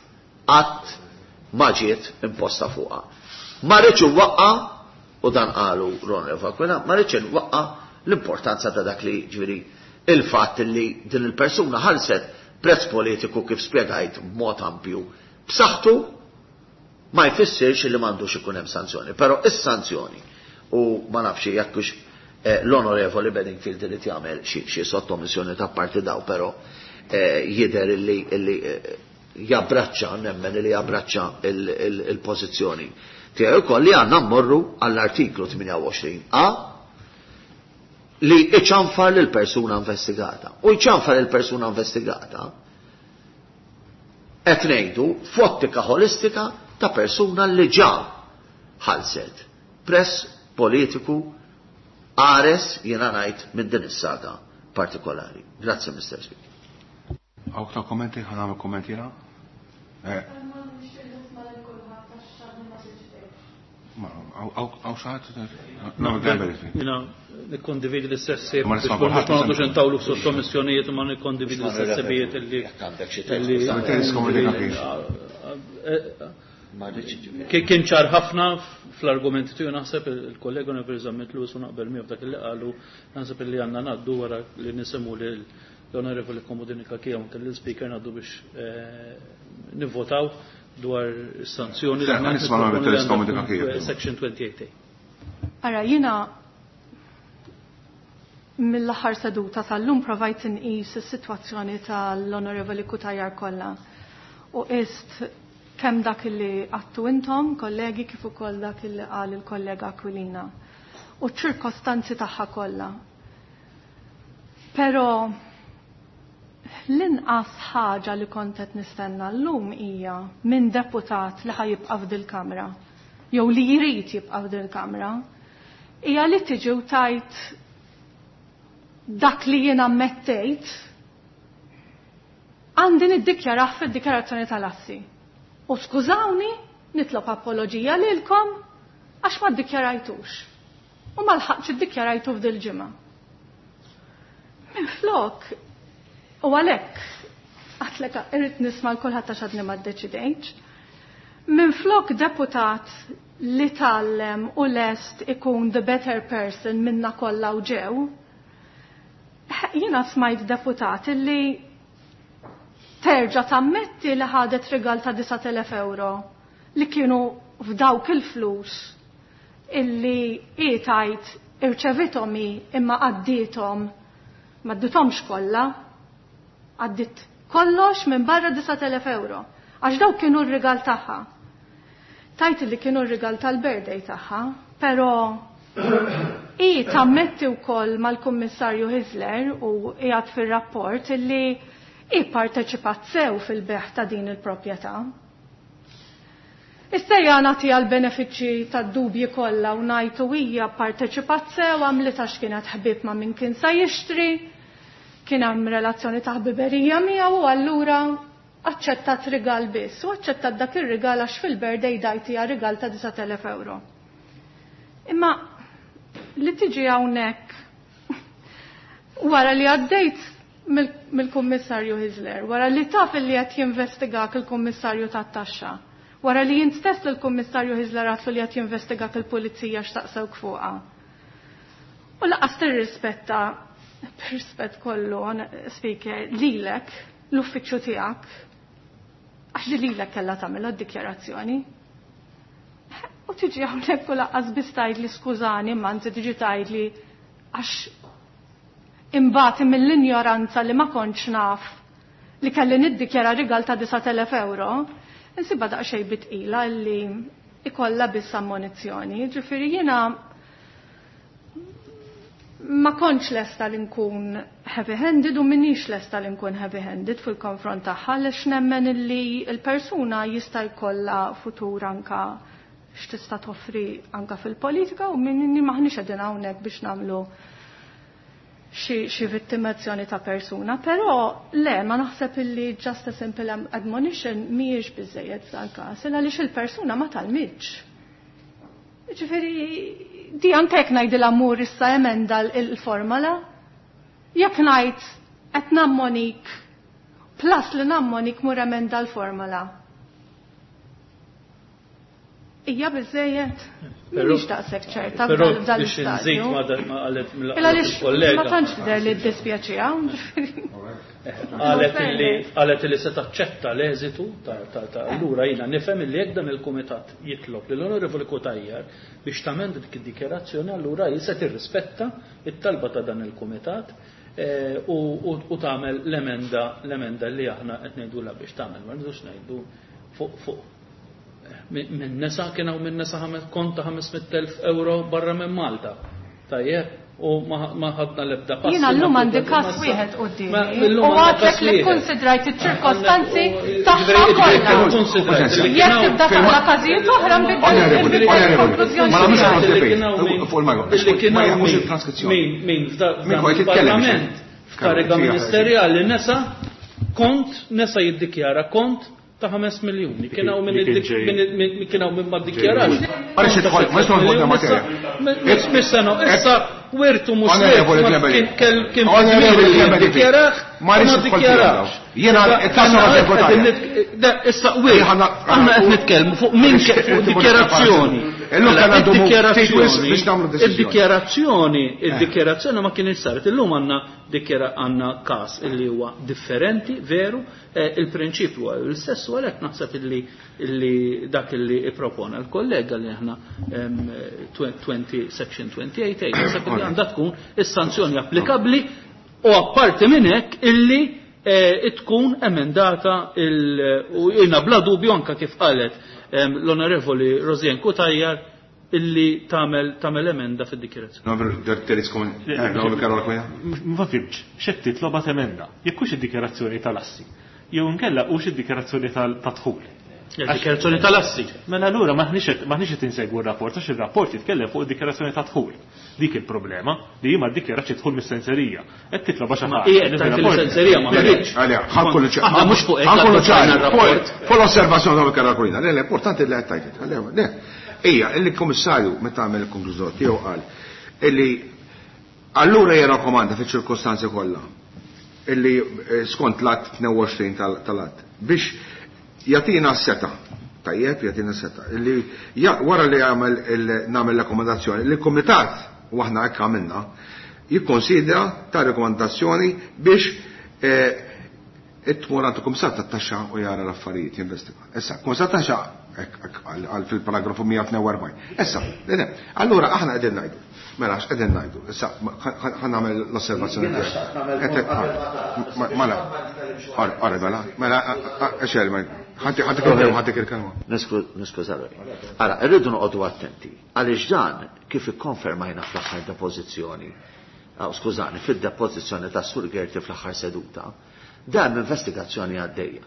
qatt ma ġiet imposta fuqha. Ma rridx inwaqqa', u dan qalu Ronald Aquilina, ma rridx inwaqqa' l-importanza ta' dak li ġifieri il-fatt li din il-persuna ħallset prezz politiku kif spjegajt b'mod ampju b'saħħtu ma jfissirx li m'għandux ikun hemm sanzjoni. Però is-sanzjoni, u ma nafx jekk hux l-Onorevoli Bedingfield irid jagħmel xi sottomissjoni ta' parti daw, però jidher illi jabbraċċa, nemmen li jabbraċċa il-pożizzjoni tiegħi wkoll li għandna mmorru għall-artiklu 28A li iċanfar lil persuna investigata. U jċanfar lil persuna investigata qed ngħidu f'ottika ħolistika ta' persuna li ġa ħallset press politiku qares jiena ngħid minn din is-saga partikolari. Grazzi, Mr. Speaker. Hawn aktar kommenti? Ħa nagħmel kumment jiena? Hawn xi ħadd? Jiena nikkondividi l-istess ħsieb biex ma noqogħdux intawlu f'sottomissjonijiet u ma nikkondividi l-istess ħsibijiet illi. Kien ċar ħafna fl-argumenti tiegħu naħseb il-kollega Onorevoli Zammit Lewis u naqbel miegħu f'dak li qalu naħseb illi għandna ngħaddu wara li nisimgħu lil l-Onorevoli Comodini Cachia u anke lill-Speaker ngħaddu biex nivvotaw dwar is-sanzjoni li aħna qed Section 28A. Ara, jiena mill-aħħar seduta sal-lum provajt inqis is-sitwazzjoni tal-Onorevoli Cutajar kollha u qist kemm dak li għattu intom, kollegi, kif ukoll dak li qal il-kollega Aquilina u ċ-ċirkostanzi tagħha kollha. Però l-inqas ħaġa li kont qed nistenna llum hija minn deputat li ħajibqa' f'dil-kamra jew li jrid jibqa' f'dil-kamra hija li tiġi u tajt dak li jien ammettejt għandi niddikjarah fid-dikjarazzjoni tal-assi. U skużawni, nitlob apoloġija lilkom għax ma ddikjarajtux. U ma lħaqtx iddikjarajtu f'dil-ġimgħa. Minflok, u għalhekk għatlek irrid nisma' l kulħadd għax għadni ma ddeċidejtx. Minflok deputat li tgħallem u lest ikun the better person minna kollha u ġew, jiena smajt deputat li terġa' tammetti li ħadet rigal ta' 9,000 euro li kienu f'dawk il-flus illi hi tajt irċevithom hi imma għaddietom ma għaddithomx kollha, għaddit kollox minn barra 9,000 euro għax dawk kienu r-rigal tagħha. Tajt li kienu r-rigal tal-birthday tagħha, però i tammetti wkoll mal-Kummissarju Hyzler u qiegħed fir-rapport illi i parteċipat sew fil-beħ ta' din il-proprjetà. Issa hija nagħtiha l-benefiċċji tad-dubji kollha u ngħid u hija parteċipat sew għamlitha x'kienet ħbieb ma' min kien sa jixtri, kien hemm relazzjoni ta' ħbiberija miegħu u allura aċċettat rigal biss u aċċettat dak ir-rigal għax fil-birthday dajtija rigal ta' 9,000 euro. Imma li tiġi hawnhekk wara li għaddejt mill-Kummissarju Hyzler, wara li taf li qed jinvestigak il-Kummissarju tat-taxxa, wara li jint stess lill-Kummissarju Hyzler għatlu li qed jinvestigak il-Pulizija x'taqsewk fuqha. U laqas tirrispetta, b'rispett kollu, Speaker, lilek, l-uffiċċju tiegħek, għax li lilek kellha tagħmilha d-dikjarazzjoni. U tiġi hawnhekk u laqqas biss tgħidli skużani, imma anzi tiġi tgħidli għax imbagħad mill-injoranza li ma kontx naf li kelli niddikjara rigal ta' 9,000 euro, insibha daqsxejn bitqila li ikollha biss ammonizzjoni. Ġifieri jiena ma kontx lesta li nkun heavy-handed u minix lesta li nkun heavy-handed fil-konfront tagħha għaliex nemmen illi l-persuna jista' jkollha futur anka x'tista' toffri anka fil-politika u minni maħniex qegħdin hawnhekk biex nagħmlu xi vittimazzjoni ta' persuna, però le ma naħseb illi just a simple admonition mhijiex biżejjed f'dal-każ, għaliex il-persuna ma talmitx. Ġifieri di anke jekk ngħidilha mur issa emenda l-formula, jekk ngħid qed nammonik plus li nammonik mur emenda l-formula. Ija biżejjed. Mhix daqshekk ċerta f'dan biex l-istadju. inżid ma dan ma qalet mill- Illa għaliex kollega. ma tantx tidher li ddispjaċiha, ġifieri. Qalet illi qalet illi se taċċetta l-eżitu ta' ta' allura jiena nifhem illi jekk dan il-kumitat jitlob lill Onorevoli Cutajar biex tamenda dik id-dikjarazzjoni allura hi se tirrispetta it-talba ta' dan il-kumitat u tagħmel l-emenda li aħna qed ngħidulha biex tagħmel, ma rridux ngħidu fuq minn nesa kien hawn minn nesa konta 500,000 euro barra minn Malta. Tajjeb, u ma ħadna l-ebda passi. Jiena llum għandi każ wieħed qudiemi. U għadlek li kkonsidrajt iċ-ċirkostanzi tagħha kollha. Jekk tibda taqra każijiet oħra nbiddel il-konklużjoni. Ma nagħmlux il-transkrizzjoni. Min f'dan il-Parlament f'kariga ministerjali nesa kont, nesa jiddikjara kont ta' 5 miljuni. Kien hawn min kien hawn min ma ddikjarax. Ma rridx nidħol, ma rridx nidħol materja. Mhix sena, issa wirtu mhux kien jiddikjarah, ma rridx nidħol. Jiena it-tassa ma Issa wir, aħna qed nitkellmu fuq min fuq dikjarazzjoni. Illum kellna ndumu ftit wisq biex nagħmlu deċiżjoni. Id-dikjarazzjoni ma kienx saret. Illum għandna dikjara għandna każ illi huwa differenti, veru, il-prinċipju huwa l-istess u għalhekk naħseb illi dak illi ippropona l-kollega li aħna 20 section 28 naħseb illi għandha tkun is-sanzjoni applikabbli u apparti minn hekk illi tkun emendata u jiena bla dubju anka kif qalet l-Onorevoli Rosianne Cutajar illi tagħmel emenda fid-dikjerazzjoni. Ma fimx, x'qed titloba emenda? Jekk hux id-dikjerazzjoni tal-assi, jew inkella hux id-dikjerazzjoni tad-dħul. Il-dikjerazzjoni tal-assi. Mela allura maħniex qed insegwu r-rapport, għax ir-rapport jitkellem fuq id-dikjerazzjoni tad-dħul. Dik il-problema li hi ma ddikjaratx id-dħul mis-senserija. Qed titloba xi ħaġa. Hija qed tgħid il-senserija ma ħaritx. Għalija, ħankunu ċari. Aħna mhux fuq hekk Ħankunu għandna ċari. r-rapport. Fuq l-osservazzjoni ta' Karol Aquilina. Le, le, importanti li qed tgħid. Le, le. Ija, il-Kummissarju meta għamel il-konklużjoni tiegħu qal illi allura jirrakkomanda fiċ-ċirkostanzi kollha illi skont l-att 22 tal-att biex jagħtina s-seta. Tajjeb, jagħtina s-seta. Illi wara li nagħmel rakkomandazzjoni, li l-Kumitat u aħna hekk għamilna jikkonsidra ta' rekomandazzjoni biex tmur għand il-Kummissar tat-Taxxa u jara l-affarijiet, jinvestiga. Issa, Kummissar tat-Taxxa għal fil-paragrafu 142. Issa, le, le, allura aħna qegħdin ngħidu. Mela, x'qegħdin ngħidu? Issa, ħa nagħmel l-osservazzjoni Jiena tiegħek. xtaqt nagħmel Qed punt qabel qed ma tagħlaq. mela, ora, mela, mela, xejn, ma Ħantik il-kelma, ħantik il-kelma. Niskuża ruħi. Ara, irridu noqogħdu attenti għaliex dan kif ikkonfermajna fl-aħħar depożizzjoni, skużani, fid-depożizzjoni ta' Sur Gerti fl-aħħar seduta, dan investigazzjoni għaddejja.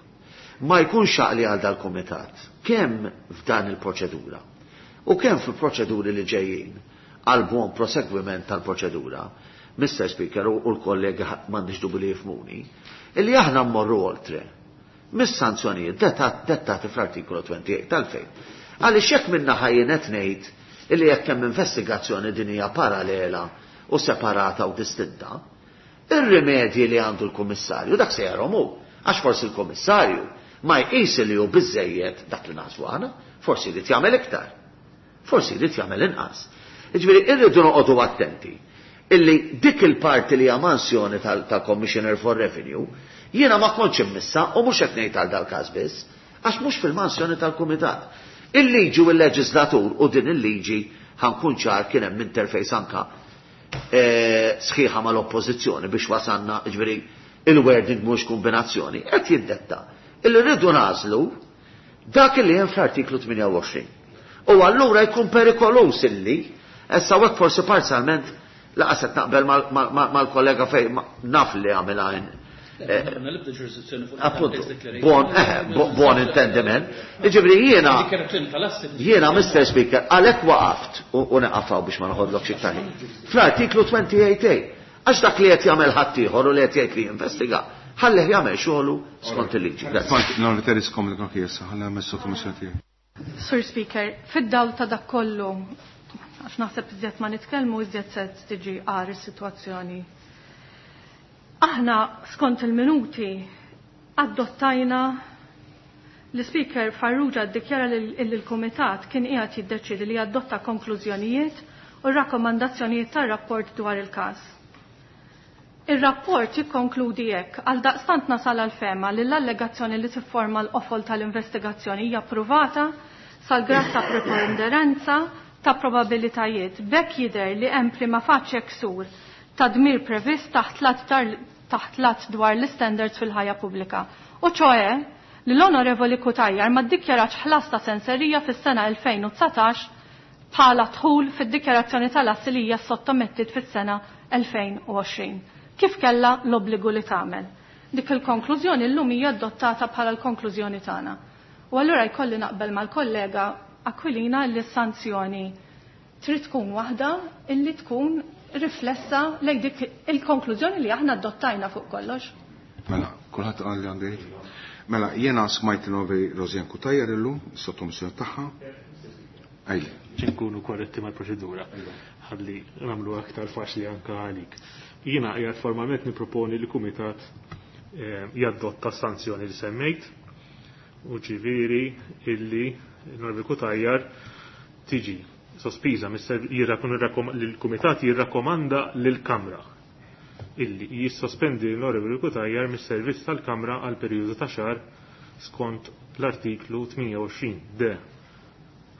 Ma jkunx għaqli għal dal-kumitat kemm f'dan il-proċedura u kemm fil-proċeduri li ġejjin għal buon prosegwiment tal-proċedura, Mr. Speaker u l-kollegi m'għandix dubju li jifhmuni, illi aħna mmorru oltre mis-sanzjonijiet dettati fl-artikolu 28 tal-fejn. Għaliex jekk minna ħajjin qed ngħid illi jekk hemm investigazzjoni din hija parallela u separata u distinta, ir-rimedji li għandu l-kummissarju dak se jarhom hu, għax forsi l-kummissarju ma jqis li hu biżejjed dak li naħsbu aħna, forsi jrid jagħmel iktar. Forsi jrid jagħmel inqas. Jiġifieri irridu noqogħdu attenti illi dik il-parti li hija mansjoni tal-Commissioner for Revenue jiena ma kontx immissa u mhux qed ngħid għal dal-każ biss, għax mhux fil-mansjoni tal-Kumitat. Il-liġi u l-leġislatur u din il-liġi ħankun ċar kien hemm interface anka sħiħa mal-oppożizzjoni biex wasanna, ġifieri il-wording mhux kombinazzjoni, qed jiddetta illi rridu nażlu dak li hemm fl-artiklu 28. U allura jkun perikolus illi, issa hekk forsi parzjalment laqas qed naqbel mal-kollega fej naf li għamilha Appunto, buon intendiment. Ġifieri jiena Mr. Speaker, għalhekk waqaft u neqafaw biex ma noħodlok xi ħin. Fl-artiklu 28A, għax dak li qed jagħmel ħaddieħor u li qed jgħid li jinvestiga, ħallih jagħmel xogħlu skont il-liġi. Non riteriskom li kien ħalli għamel sottomissjoni tiegħi. Sur Speaker, fid-dawl ta' dak kollu, għax naħseb iżjed ma nitkellmu iżjed se tiġi għar is-sitwazzjoni. Aħna skont il-minuti adottajna l-Speaker Farrugia ddikjara li l-Kumitat kien qiegħed jiddeċiedi li jadotta konklużjonijiet u rakkomandazzjonijiet tar-rapport dwar il-każ. Ir-rapport jikkonkludi hekk għal daqstant nasal għal fema li l-allegazzjoni li tifforma l-qofol tal-investigazzjoni hija ppruvata sal-grad ta' preponderanza ta' probabilitajiet. B'hekk jidher li hemm prima facie ksur ta' dmir previst taħt l-att dwar l-standards fil-ħajja pubblika. U ċoe li l-Onorevoli Cutajar ma ddikjarax ħlas ta' senserija fis-sena 2019 bħala dħul fid-dikjarazzjoni tal-assi li hija sottomettit fis-sena 2020. Kif kellha l-obbligu li tagħmel. Dik il-konklużjoni llum hija adottata bħala l-konklużjoni tagħna. U allura jkolli naqbel mal-kollega Aquilina li s-sanzjoni trid tkun waħda illi tkun riflessa lejn dik il-konklużjoni li aħna adottajna fuq kollox. Mela, kulħadd qal li għandu jgħid. Mela, jiena smajt novi Rosianne Cutajar illum, sottomissjoni tagħha. Ejli. Ċinkunu korretti mal-proċedura. Ħalli nagħmlu aktar faċli anke għalik. Jiena qiegħed formalment nipproponi li kumitat jadotta sanzjoni li semmejt u ġifieri illi Norvi Cutajar tiġi sospiża l-Kumitat jirrakkomanda lill-Kamra illi jissospendi l-Onorevoli Cutajar mis-servizz tal-Kamra għal perjodu ta' xahar skont l-artiklu 28 d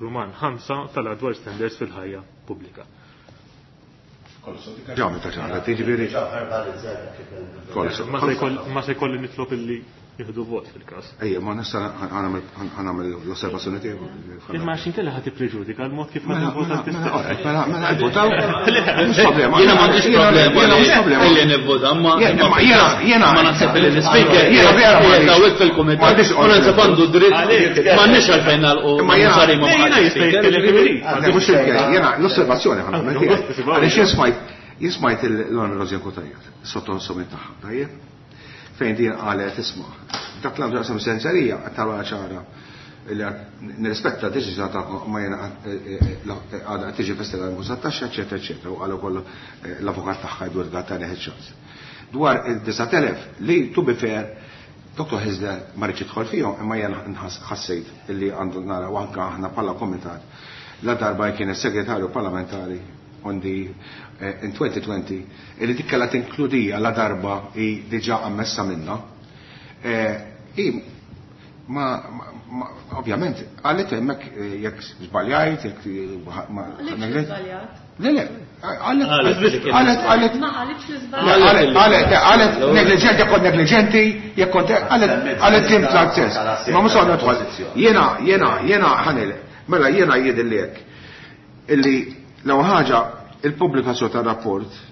Ruman 5 tal-Adwar Standards fil-ħajja pubblika. Ġa, meta ċara, tiġifieri. Ma se jkolli nitlob illi jieħdu vot fil-każ. Ejja, ma nista' ħanamel l-osservazzjoni tiegħu. Imma għax inkella ħadd tippreġudika l-mod kif ħadd ivvota mela, mela, mela, votaw. Mhux problema. Jiena m'għandix problema. Jiena mhux problema. Illi nivvota, ma jiena ma naħseb li l-speaker jiena vera qiegħed hawnhekk fil-kumitat. U naħseb għandu dritt m'għandniex għalfejn nagħlqu Imma jiena sarima ma' Jiena jista' jitkellem kif irid. Mhux jiena l-osservazzjoni ħanamel tiegħi. Għaliex jien smajt l-Onorevoli Rosianne Cutajar, sottomissjoni tagħha, tajjeb? Fejn din qalet isma' dak l-għandu jaqsam senserija qed tara ċara li nirrispetta d-deċiżjoni tagħkom ma jiena għadha qed tiġi investigata mhux taxxa, eċetera, eċetera, u qal ukoll l-avukat tagħha Edward Gattani ħeċ Dwar il-9,000 li to be fair, Dr. Hyzler ma rridx jidħol fihom, imma jiena ħassejt illi għandu nara u anke aħna bħala komitat la darba kien is-segretarju parlamentari on the in 2020 illi dik kellha tinkludija la darba hi diġà ammessa minna. I Ma, ovvjament, qalet hemmhekk jekk żbaljajt, jekk ma. Żbaljat. Le, le, qalet, qalet, qalet. Ma qalitx li żbaljat. Qalet, qalet, negliġenti, jekk kont negliġenti, jekk kont, qalet, qalet tim tal-stess. Ma mhux nidħol. Jiena, jiena, jiena ħanil, mela jiena jidhirli hekk. Illi l-ewwel ħaġa il-pubblikazzjoni tar-rapport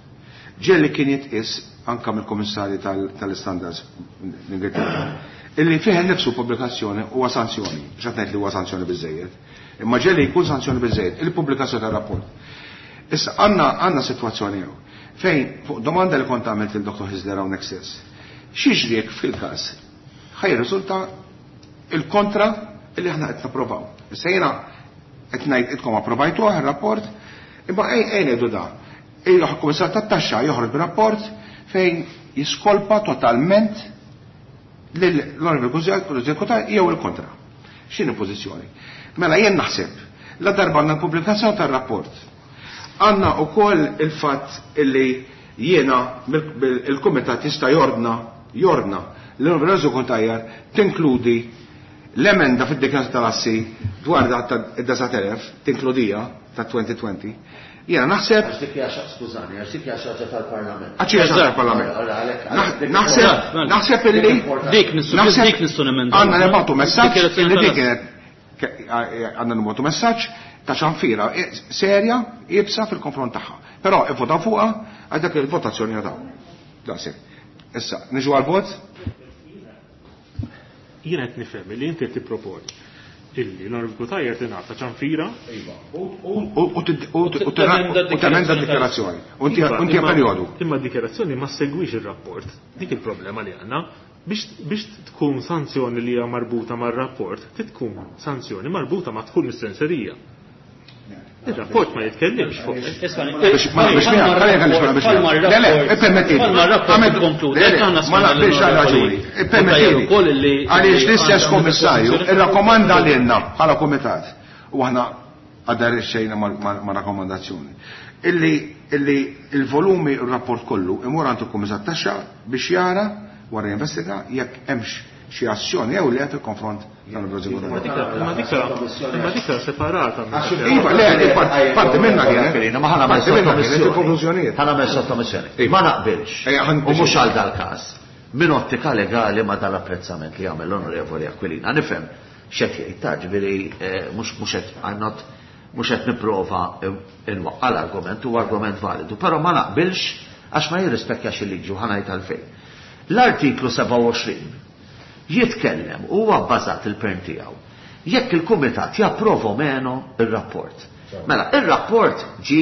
ġieli kien jitqies anka mill-Kummissarji tal-Istandards l-Ingilterra illi fih innifsu pubblikazzjoni huwa sanzjoni, mhux qed ngħid li huwa sanzjoni biżejjed, imma ġieli jkun sanzjoni biżejjed il-pubblikazzjoni tar-rapport. Issa għandna għandna sitwazzjoni hawn fejn fuq domanda li kont għamilt lil Dr. Hyzler hawnhekk stess, x'jiġri jekk fil-każ ħa jirriżulta il-kontra illi aħna qed napprovaw. Issa jiena qed ngħid intkom approvajtuh ir-rapport, imma ejja ngħidu da. Il-Kummissar tat-Taxxa joħroġ b'rapport fejn jiskolpa totalment lill-Onorevoli Cutajar jew il-kontra. X'inhi pożizzjoni? Mela jien naħseb la darba għandna l-pubblikazzjoni tar-rapport. Għandna wkoll il-fatt illi jiena il-Kumitat jista' jordna jordna l-Onorevoli Cutajar tinkludi l-emenda fid-dikjarazzjoni tal-assi dwar dak id-9,000 tinkludija ta' 2020. Jiena naħseb. Għax dik hija skużani, għax dik hija xi ħaġa tal-Parlament. Għax hija xi ħaġa tal-Parlament. Naħseb naħseb illi dik nistgħu dik nistgħu nemendaw. Għandna nibgħatu messaġġ illi dik kienet għandna nibgħatu messaġġ ta' ċanfira serja iebsa fil-konfront tagħha. Però ivvotaw fuqha għal dak il-votazzjoni għadaw. Daqshekk. Issa, niġu għal-vot? Jiena qed nifhem li inti qed tipproponi illi l-Onorevoli Cutajar tingħata ċanfira. Iva. U temenda d-dikjarazzjoni. U inti perjodu. Imma d-dikjarazzjoni ma segwix ir-rapport. Dik il-problema li għandna. Biex tkun sanzjoni li hija marbuta mar-rapport, tkun sanzjoni marbuta ma' dħul mis-senserija. Il-rapport ma jitkellimx fuq. Ma naqbilx għal raġuni. Ippermettili. Għaliex l-istess kummissarju irrakkomanda lilna bħala kumitat u aħna aderixxejna ma' rakkomandazzjoni. Illi illi il-volumi u r-rapport kollu imur għand il-Kummissar Taxxa biex jara wara jinvestiga jekk hemmx xi azzjoni jew le fil-konfront Imma dik separata. Iva, le, parti minna kienet. Ma ħa nagħmel sottomissjoni. Ħa nagħmel sottomissjoni. Ma naqbilx. U mhux għal dal-każ. Min ottika legali ma dal-apprezzament li għamel l-Onorevoli Aquilina. Nifhem x'qed jgħid ta' ġifieri mhux mhux qed I'm not mhux qed nipprova nwaqqa' l-argument huwa argument validu, però ma naqbilx għax ma jirrispekjax il-liġi u ħa ngħid għalfejn. L-artiklu 27 jitkellem u huwa bbażat il-pern tiegħu jekk il-kumitat japprova o meno ir-rapport. Mela, ir-rapport ġi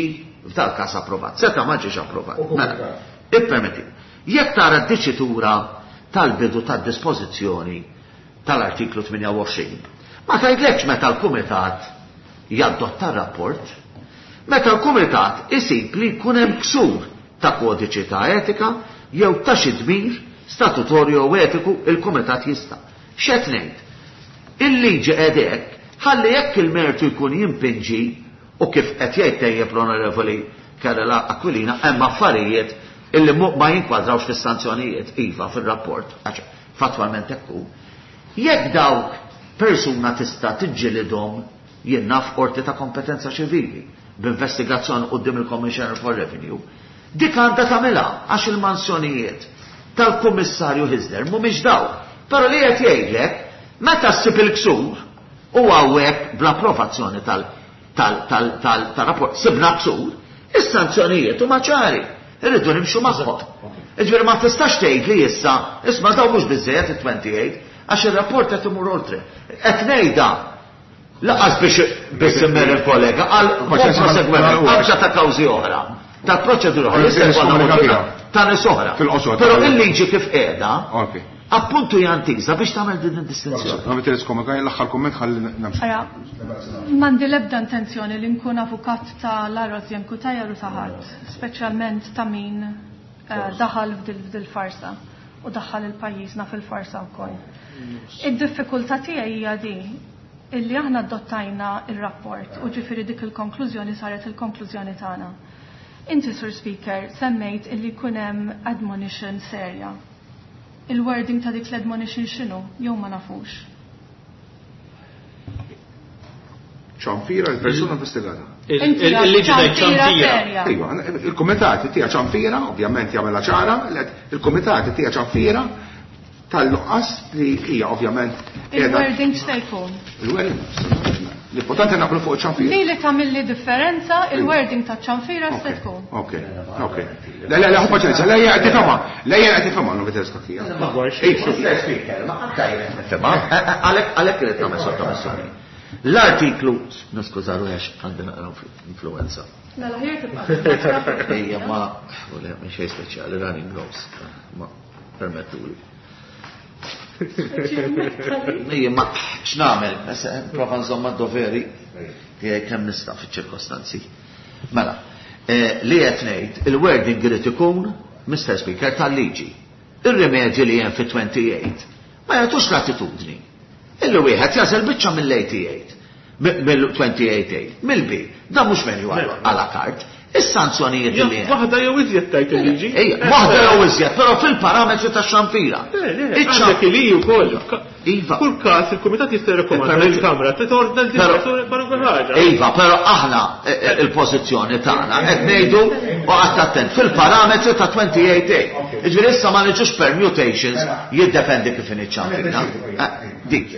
f'dal każ approvat, seta' ma ġiex approvat. Mela, ippermetti. Jekk tara d-diċitura tal-bidu tad-dispożizzjoni tal-artiklu 28, ma tgħidlekx meta l-kumitat jadotta r-rapport, meta l-kumitat isib li jkun hemm ksur ta' kodiċi ta' etika jew ta' xi dmir statutorju jew etiku il-kumitat jista'. X'qed ngħid? Il-liġi qegħdek ħalli jekk il-mertu jkun jimpinġi u kif qed jgħid tejjeb l-Onorevoli Karela Aquilina hemm affarijiet illi ma jinkwadrawx fis-sanzjonijiet iva fir-rapport, għax fattwalment hekk hu. Jekk dawk persuna tista' tiġġilidhom jien naf qorti ta' kompetenza ċivili b'investigazzjoni quddiem il-Commissioner for Revenue, dik għandha tagħmilha għax il-mansjonijiet tal-Kummissarju Hyzler mhumiex dawk. Però li qed jgħidlek meta ssib il-ksur u hawnhekk bl-approvazzjoni tal-rapport sibna ksur, is-sanzjonijiet huma ċari. Irridu nimxu magħhom. Ġifieri ma tistax tgħid li issa, isma' daw mhux biżejjed it-28, għax ir-rapport qed imur oltre. Qed ngħidha laqas biex biss immer il-kollega għal prosegwiment anke ta' kawżi oħra, ta' proċedura oħra, ta' nies oħra. Però il-liġi kif qiegħda, appuntu jantiża biex tagħmel din id-distinzjoni. Ma bitelis komment, l-aħħar komment ħalli namxu. M'għandi l-ebda intenzjoni li nkun avukat ta' Rosianne Cutajar u ta' ħadd, speċjalment ta' min daħal f'dil farsa u daħal il-pajjiżna fil-farsa wkoll. Id-diffikultà tiegħi hija di illi aħna adottajna il-rapport u ġifieri dik il-konklużjoni saret il-konklużjoni tagħna. Inti, Sur Speaker, semmejt illi jkun hemm admonition serja. Il-wording ta' dik l-admonition x'inhu? Jew ma nafux. Ċanfira l-persuna investigata. Il-liġi tgħid ċanfira. Iva, il-kumitat tija ċanfira, ovvjament jagħmilha ċara, il-kumitat tija ċanfira tal-nuqqas li hija ovvjament Il-wording x'se jkun? Il-wording. L-importanti naqblu fuq ċanfira. Li li tagħmilli differenza il-wording ta' ċanfira se tkun. Ok, ok. Le, le, le, paċenza, le, jgħid tifhimha, le jgħid tifhimha, non veder skakija. Ma anka jien nifhimha, għalhekk irid nagħmel sottomissjoni. L-artiklu, niskuża ruħi għax għandi naqra influenza. Mela ħjar tibqa'. Ejja ma, u le, minn xejn speċjali, running nose, ma permettuli. Ejja, ma x'nagħmel? Prova nżomm mad-doveri tiegħi kemm nista' fiċ-ċirkostanzi. Mela, li qed ngħid, il-wording irid ikun, Mr. Speaker, tal-liġi. Ir-rimedji li hemm fit-28 ma jagħtux l-attitudni. Illi wieħed jażel biċċa mill-88, mill-28A, mill-B. Dan mhux menu à la carte. Is-sanzjonijiet li hemm. Waħda jew iżjed tajt il-liġi. Ejja, waħda jew iżjed, però fil-parametri tax-xanfira. Għandek li wkoll. Iva. Kull każ il-kumitat jista' jirrakkomanda lill-Kamra titordna l-persuna kwalunkwe ħaġa. Iva, però aħna il-pożizzjoni tagħna qed ngħidu u qatt attent fil-parametri ta' 28A. Jiġifieri issa ma niġux permutations jiddependi kif inhi ċ-ċanfira. Dik.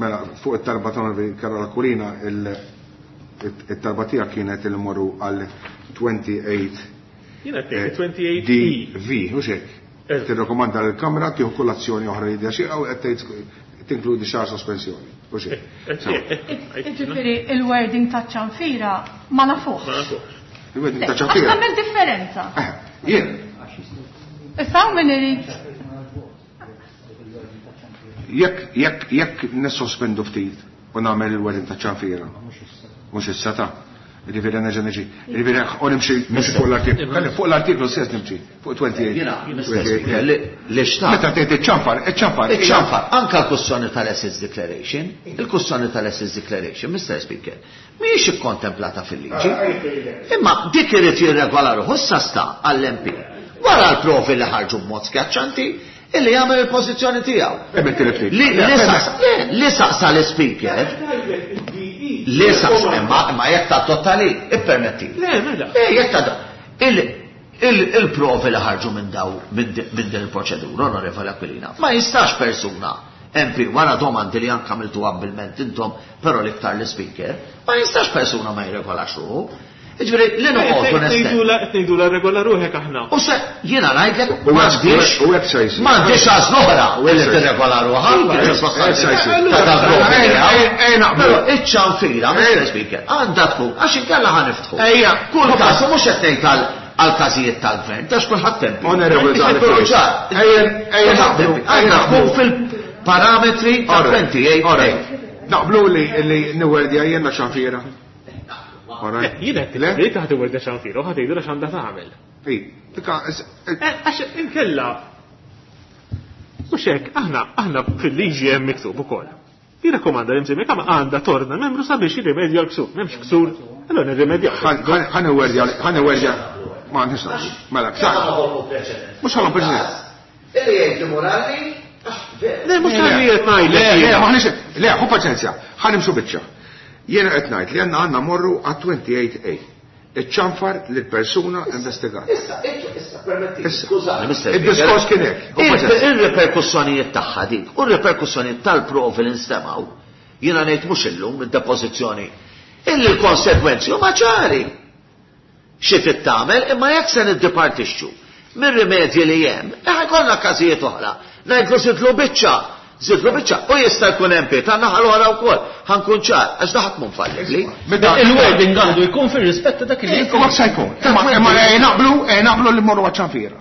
Mela, fuq it-talba ta' Karola Aquilina, it-talba tiegħek kienet il morru għal 28 Jiena qed 28 DV, hux hekk? Tirrakkomanda lill-Kamra tieħu kull azzjoni oħra li hija xierqa u qed tgħid tinkludi xahar sospensjoni. Hux hekk? Jiġifieri il-wording taċ-ċanfira ma nafuhx. Ma nafuhx. Il-wording taċ-ċanfira. Għax tagħmel differenza. Jien. Issa hawn min irid. Jekk jekk jekk nissospendu ftit u nagħmel il-wording taċ-ċanfira. Mhux issa ta'. Jiġifieri nerġa' niġi. Jiġifieri u nimxi nimxi fuq l-artiklu. Kalli fuq l-artiklu stess nimxi fuq 28. Jiena Mr. Li xtaqt. Meta tgħid iċ-ċanfar, iċ-ċanfar. Iċ-ċanfar, anke l-kwestjoni tal-Assets Declaration, il-kwestjoni tal-Assets Declaration, Mr. Speaker, mhijiex ikkontemplata fil-liġi. Imma dik irid jirregola ruħu issa sta għall-MP. Wara l-provi li ħarġu b'mod skjaċċanti, illi jagħmel il-pożizzjoni tiegħu. Li saqsa l-speaker, li saqsa imma jekk ta' totali, ippermetti. Le, mela. Jekk ta' il-provi li ħarġu minn daw minn din il-proċedura, Onorevoli Aquilina, ma jistax persuna MP wara domandi li anke għamiltu abbilment intom, però l-iktar l-speaker, ma jistax persuna ma jirregolax ruħu. Jiġifieri li noqogħdu nestgħidu Ngħidu la regola ruħek aħna. U se jiena ngħidlek m'għandix m'għandix għażla oħra li tirregola ruħha. Però iċ-ċanfira, Mr. Speaker, għandha tkun għax inkella ħa niftħu. Ejja, kull każ mhux qed ngħid għal każijiet tal-gvern, tax kulħadd tempi. Onorevoli Għandha tkun fil-parametri ta' 28. Naqblu li niwerdja jiena ċanfira. Jiena qed li taħt iwerdja ċanfira u ħadd jgħidu x'għandha tagħmel. Għax inkella mhux hekk aħna aħna fil-liġi hemm miktub ukoll. Jirrakkomanda li msemmi kemm għandha torna membru sabiex jirrimedja l-ksur. M'hemmx ksur, allura nirrimedja. Ħa niwerdja, ħa niwerdja. Ma nix Mela, ksar. Mhux ħalhom preċedent. Illi jgħid morali Le, mhux tal-li qed ngħidlek. Le, le, maħniex, le, ħu paċenzja, ħa nimxu biċċa. Jiena qed ngħid li għandna għandna morru għat-28A. Iċ-ċanfar lill-persuna investigata. Issa, issa, permetti. Skużani, Mr. Id-diskors kien hekk. Ir-reperkussjonijiet tagħha dik u r-reperkussjonijiet tal-provi li nstemgħu, jiena ngħid mhux illum id-depożizzjoni, illi l-konsekwenzi huma ċari. Xi trid tagħmel imma jekk se niddipartixxu mir-rimedji li hemm, ħa jkollna każijiet oħra. Ngħidlu żidlu biċċa, żidlu biċċa, u jista' jkun MP tan-naħa l-oħra wkoll, ħa nkun ċar, għax daħat mhu fallibbli. Il-wording għandu jkun fir-rispett ta' dak li jkun. Se jkun. Imma naqblu, naqblu li mmorru għaċ-ċanfira.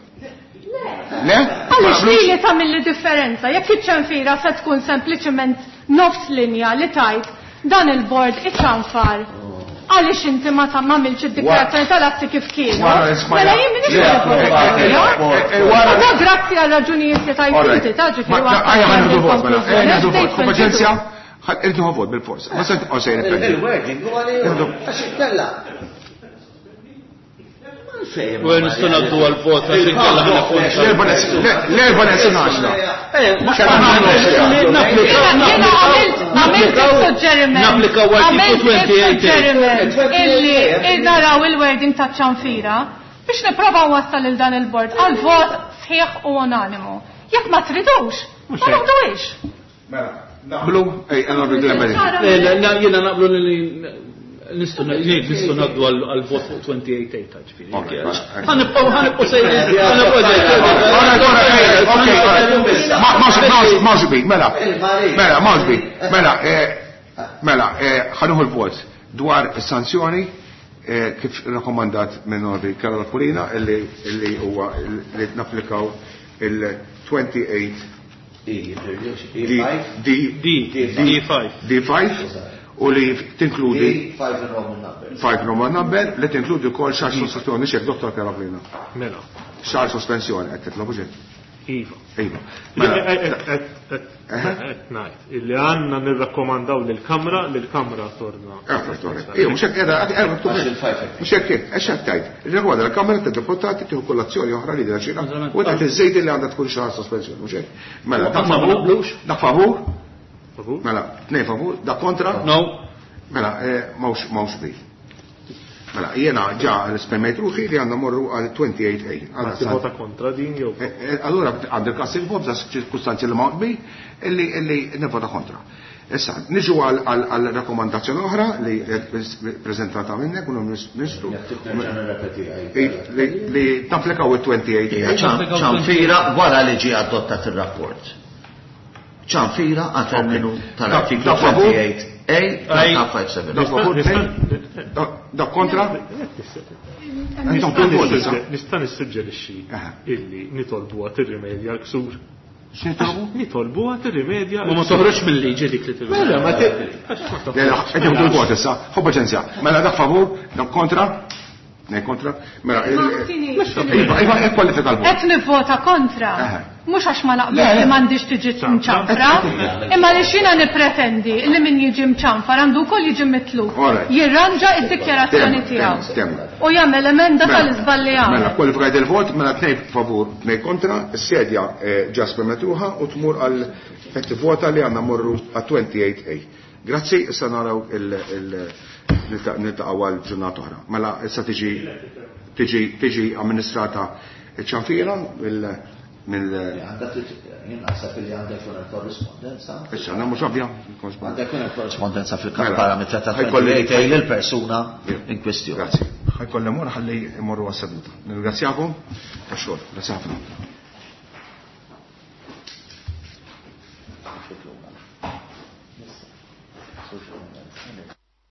Le? Għaliex li li tagħmilli differenza, jekk iċ-ċanfira se tkun sempliċement nofs linja li tajt dan il-bord iċ-ċanfar. Għaliex inti ma ta' m'għamilx id-dikjarazzjoni tal-atti kif kienu. Mela jien m'iniex Da grazzi għal raġunijiet li tajt inti ta' ġifieri. Ejja ħa nieħdu vot mela. Ejja nieħdu vot. Paċenzja, irridu vot bil-fors. Ma se tibqgħu sejrin. Il-wording huwa li għax inkella. Il-fejn. U nistgħu ngħaddu għal-vot għax inkella ħa L-erba' neqsin għaxra. Jiena għamilt il-suġġeriment. Napplikaw artiklu Għamilt 28. il-suġġeriment illi naraw il-wording ta' ċanfira biex nipprova wassal il dan il-bord għal vot sħiħ u unanimu. Jekk ma tridux, ma noħduhiex. Mela, naqblu, ej, għanna bidla Jiena naqblu li nistgħu nistgħu ngħaddu għal-vot fuq 28 ta' ġifieri. Ok, mela. Ħanibqgħu ħanibqgħu sejrin. ħanibqgħu sejrin. Mawx bi, mela, mela, mawx bi, mela, mela, ħanuħu l-vot dwar sanzjoni kif rakkomandat minn Norvi Karol Pulina illi huwa li napplikaw il-28 D D D D5. D5 u li tinkludi 5 Roman numbers. 5 Roman number li tinkludi wkoll xahar sospensjoni xek Dottor Karol Pulina. Mela, Xahar sospensjoni qed titlobu ġej. Iva. Iva. Mela, Qed ngħid illi għandna nirrakkomandaw lill-Kamra li l-Kamra torna. Ija, mhux hekk qiegħda qiegħda maktub hekk. Mhux hekk hekk, għax hekk tgħid. Irrigwarda l-Kamra tad-Deputati tieħu kull azzjoni oħra li xira u tgħid iżżejdi li għandha tkun xahar sospensjoni, mhux hekk. Mela, dak Ma favur, naqblux. dak favur, Favur? mela, tnej favur, dak kontra, No. mela, mawx mawx bil. Mela, jiena ġa esprimejt ruħi li għandna morru għal 28A. Ma tivvota kontra din jew Allura għandi l-kas il-vot da ċirkustanzi li ma qbi illi illi nivvota kontra. Issa, niġu għal rakkomandazzjoni oħra li prezentata minnek u ministru Nerġa' nirrepeti. li tapplikaw il-28A. ċanfira wara li ġie adottat ir-rapport. Ċanfira għal terminu tal-artiklu Dak favur? 28A tal-57. Dak favur, dak kontra? Intom kull vot issa. Nista' nissuġġerixxi Aha. illi nitolbuha tirrimedja l-ksur. X'nitolbu? Nitolbuha tirrimedja. Ma ma toħroġ mill-liġi dik li tirrimedja. Mela, ma ti. Le, le, qed jieħdu l-vot issa. Ħu paċenzja. Mela dak favur, dak kontra? Nej kontra? Mela, Iva, iva, kwalifika l-vot. Qed nivvota kontra. Aha. Mhux għax ma Le, naqbel le. li m'għandix tiġi mċanfra, imma li xina nippretendi li min jiġi mċanfar għandu wkoll jiġi mitlub. Alright. Jirranġa id-dikjarazzjoni Temma, tiegħu. temma. U jagħmel emenda tal-iżball li Mela, għamel. kwalifikajt il-vot, mela tnej favur, tnej kontra, s-sedja ġa spermetruħa u tmur għal qed tivvota li għandna morru għal 28A. Grazzi, issa naraw niltaqgħu għal ġurnata oħra. Mela issa tiġi tiġi tiġi amministrata ċ-ċanfira mill mill Jien naħseb li għandha jkun hemm korrispondenza. issa għandna mhux ovvja. Għandha jkun hemm korrispondenza fil-kamp Mela. parametra ta' Ħajkolli- 28A lill-persuna in kwestjoni. Grazzi. Ħajkolli mmur ħalli mmorru għas-seduta. Nirringrazzjakom tax-xogħol. Grazzi ħafna. Thank you.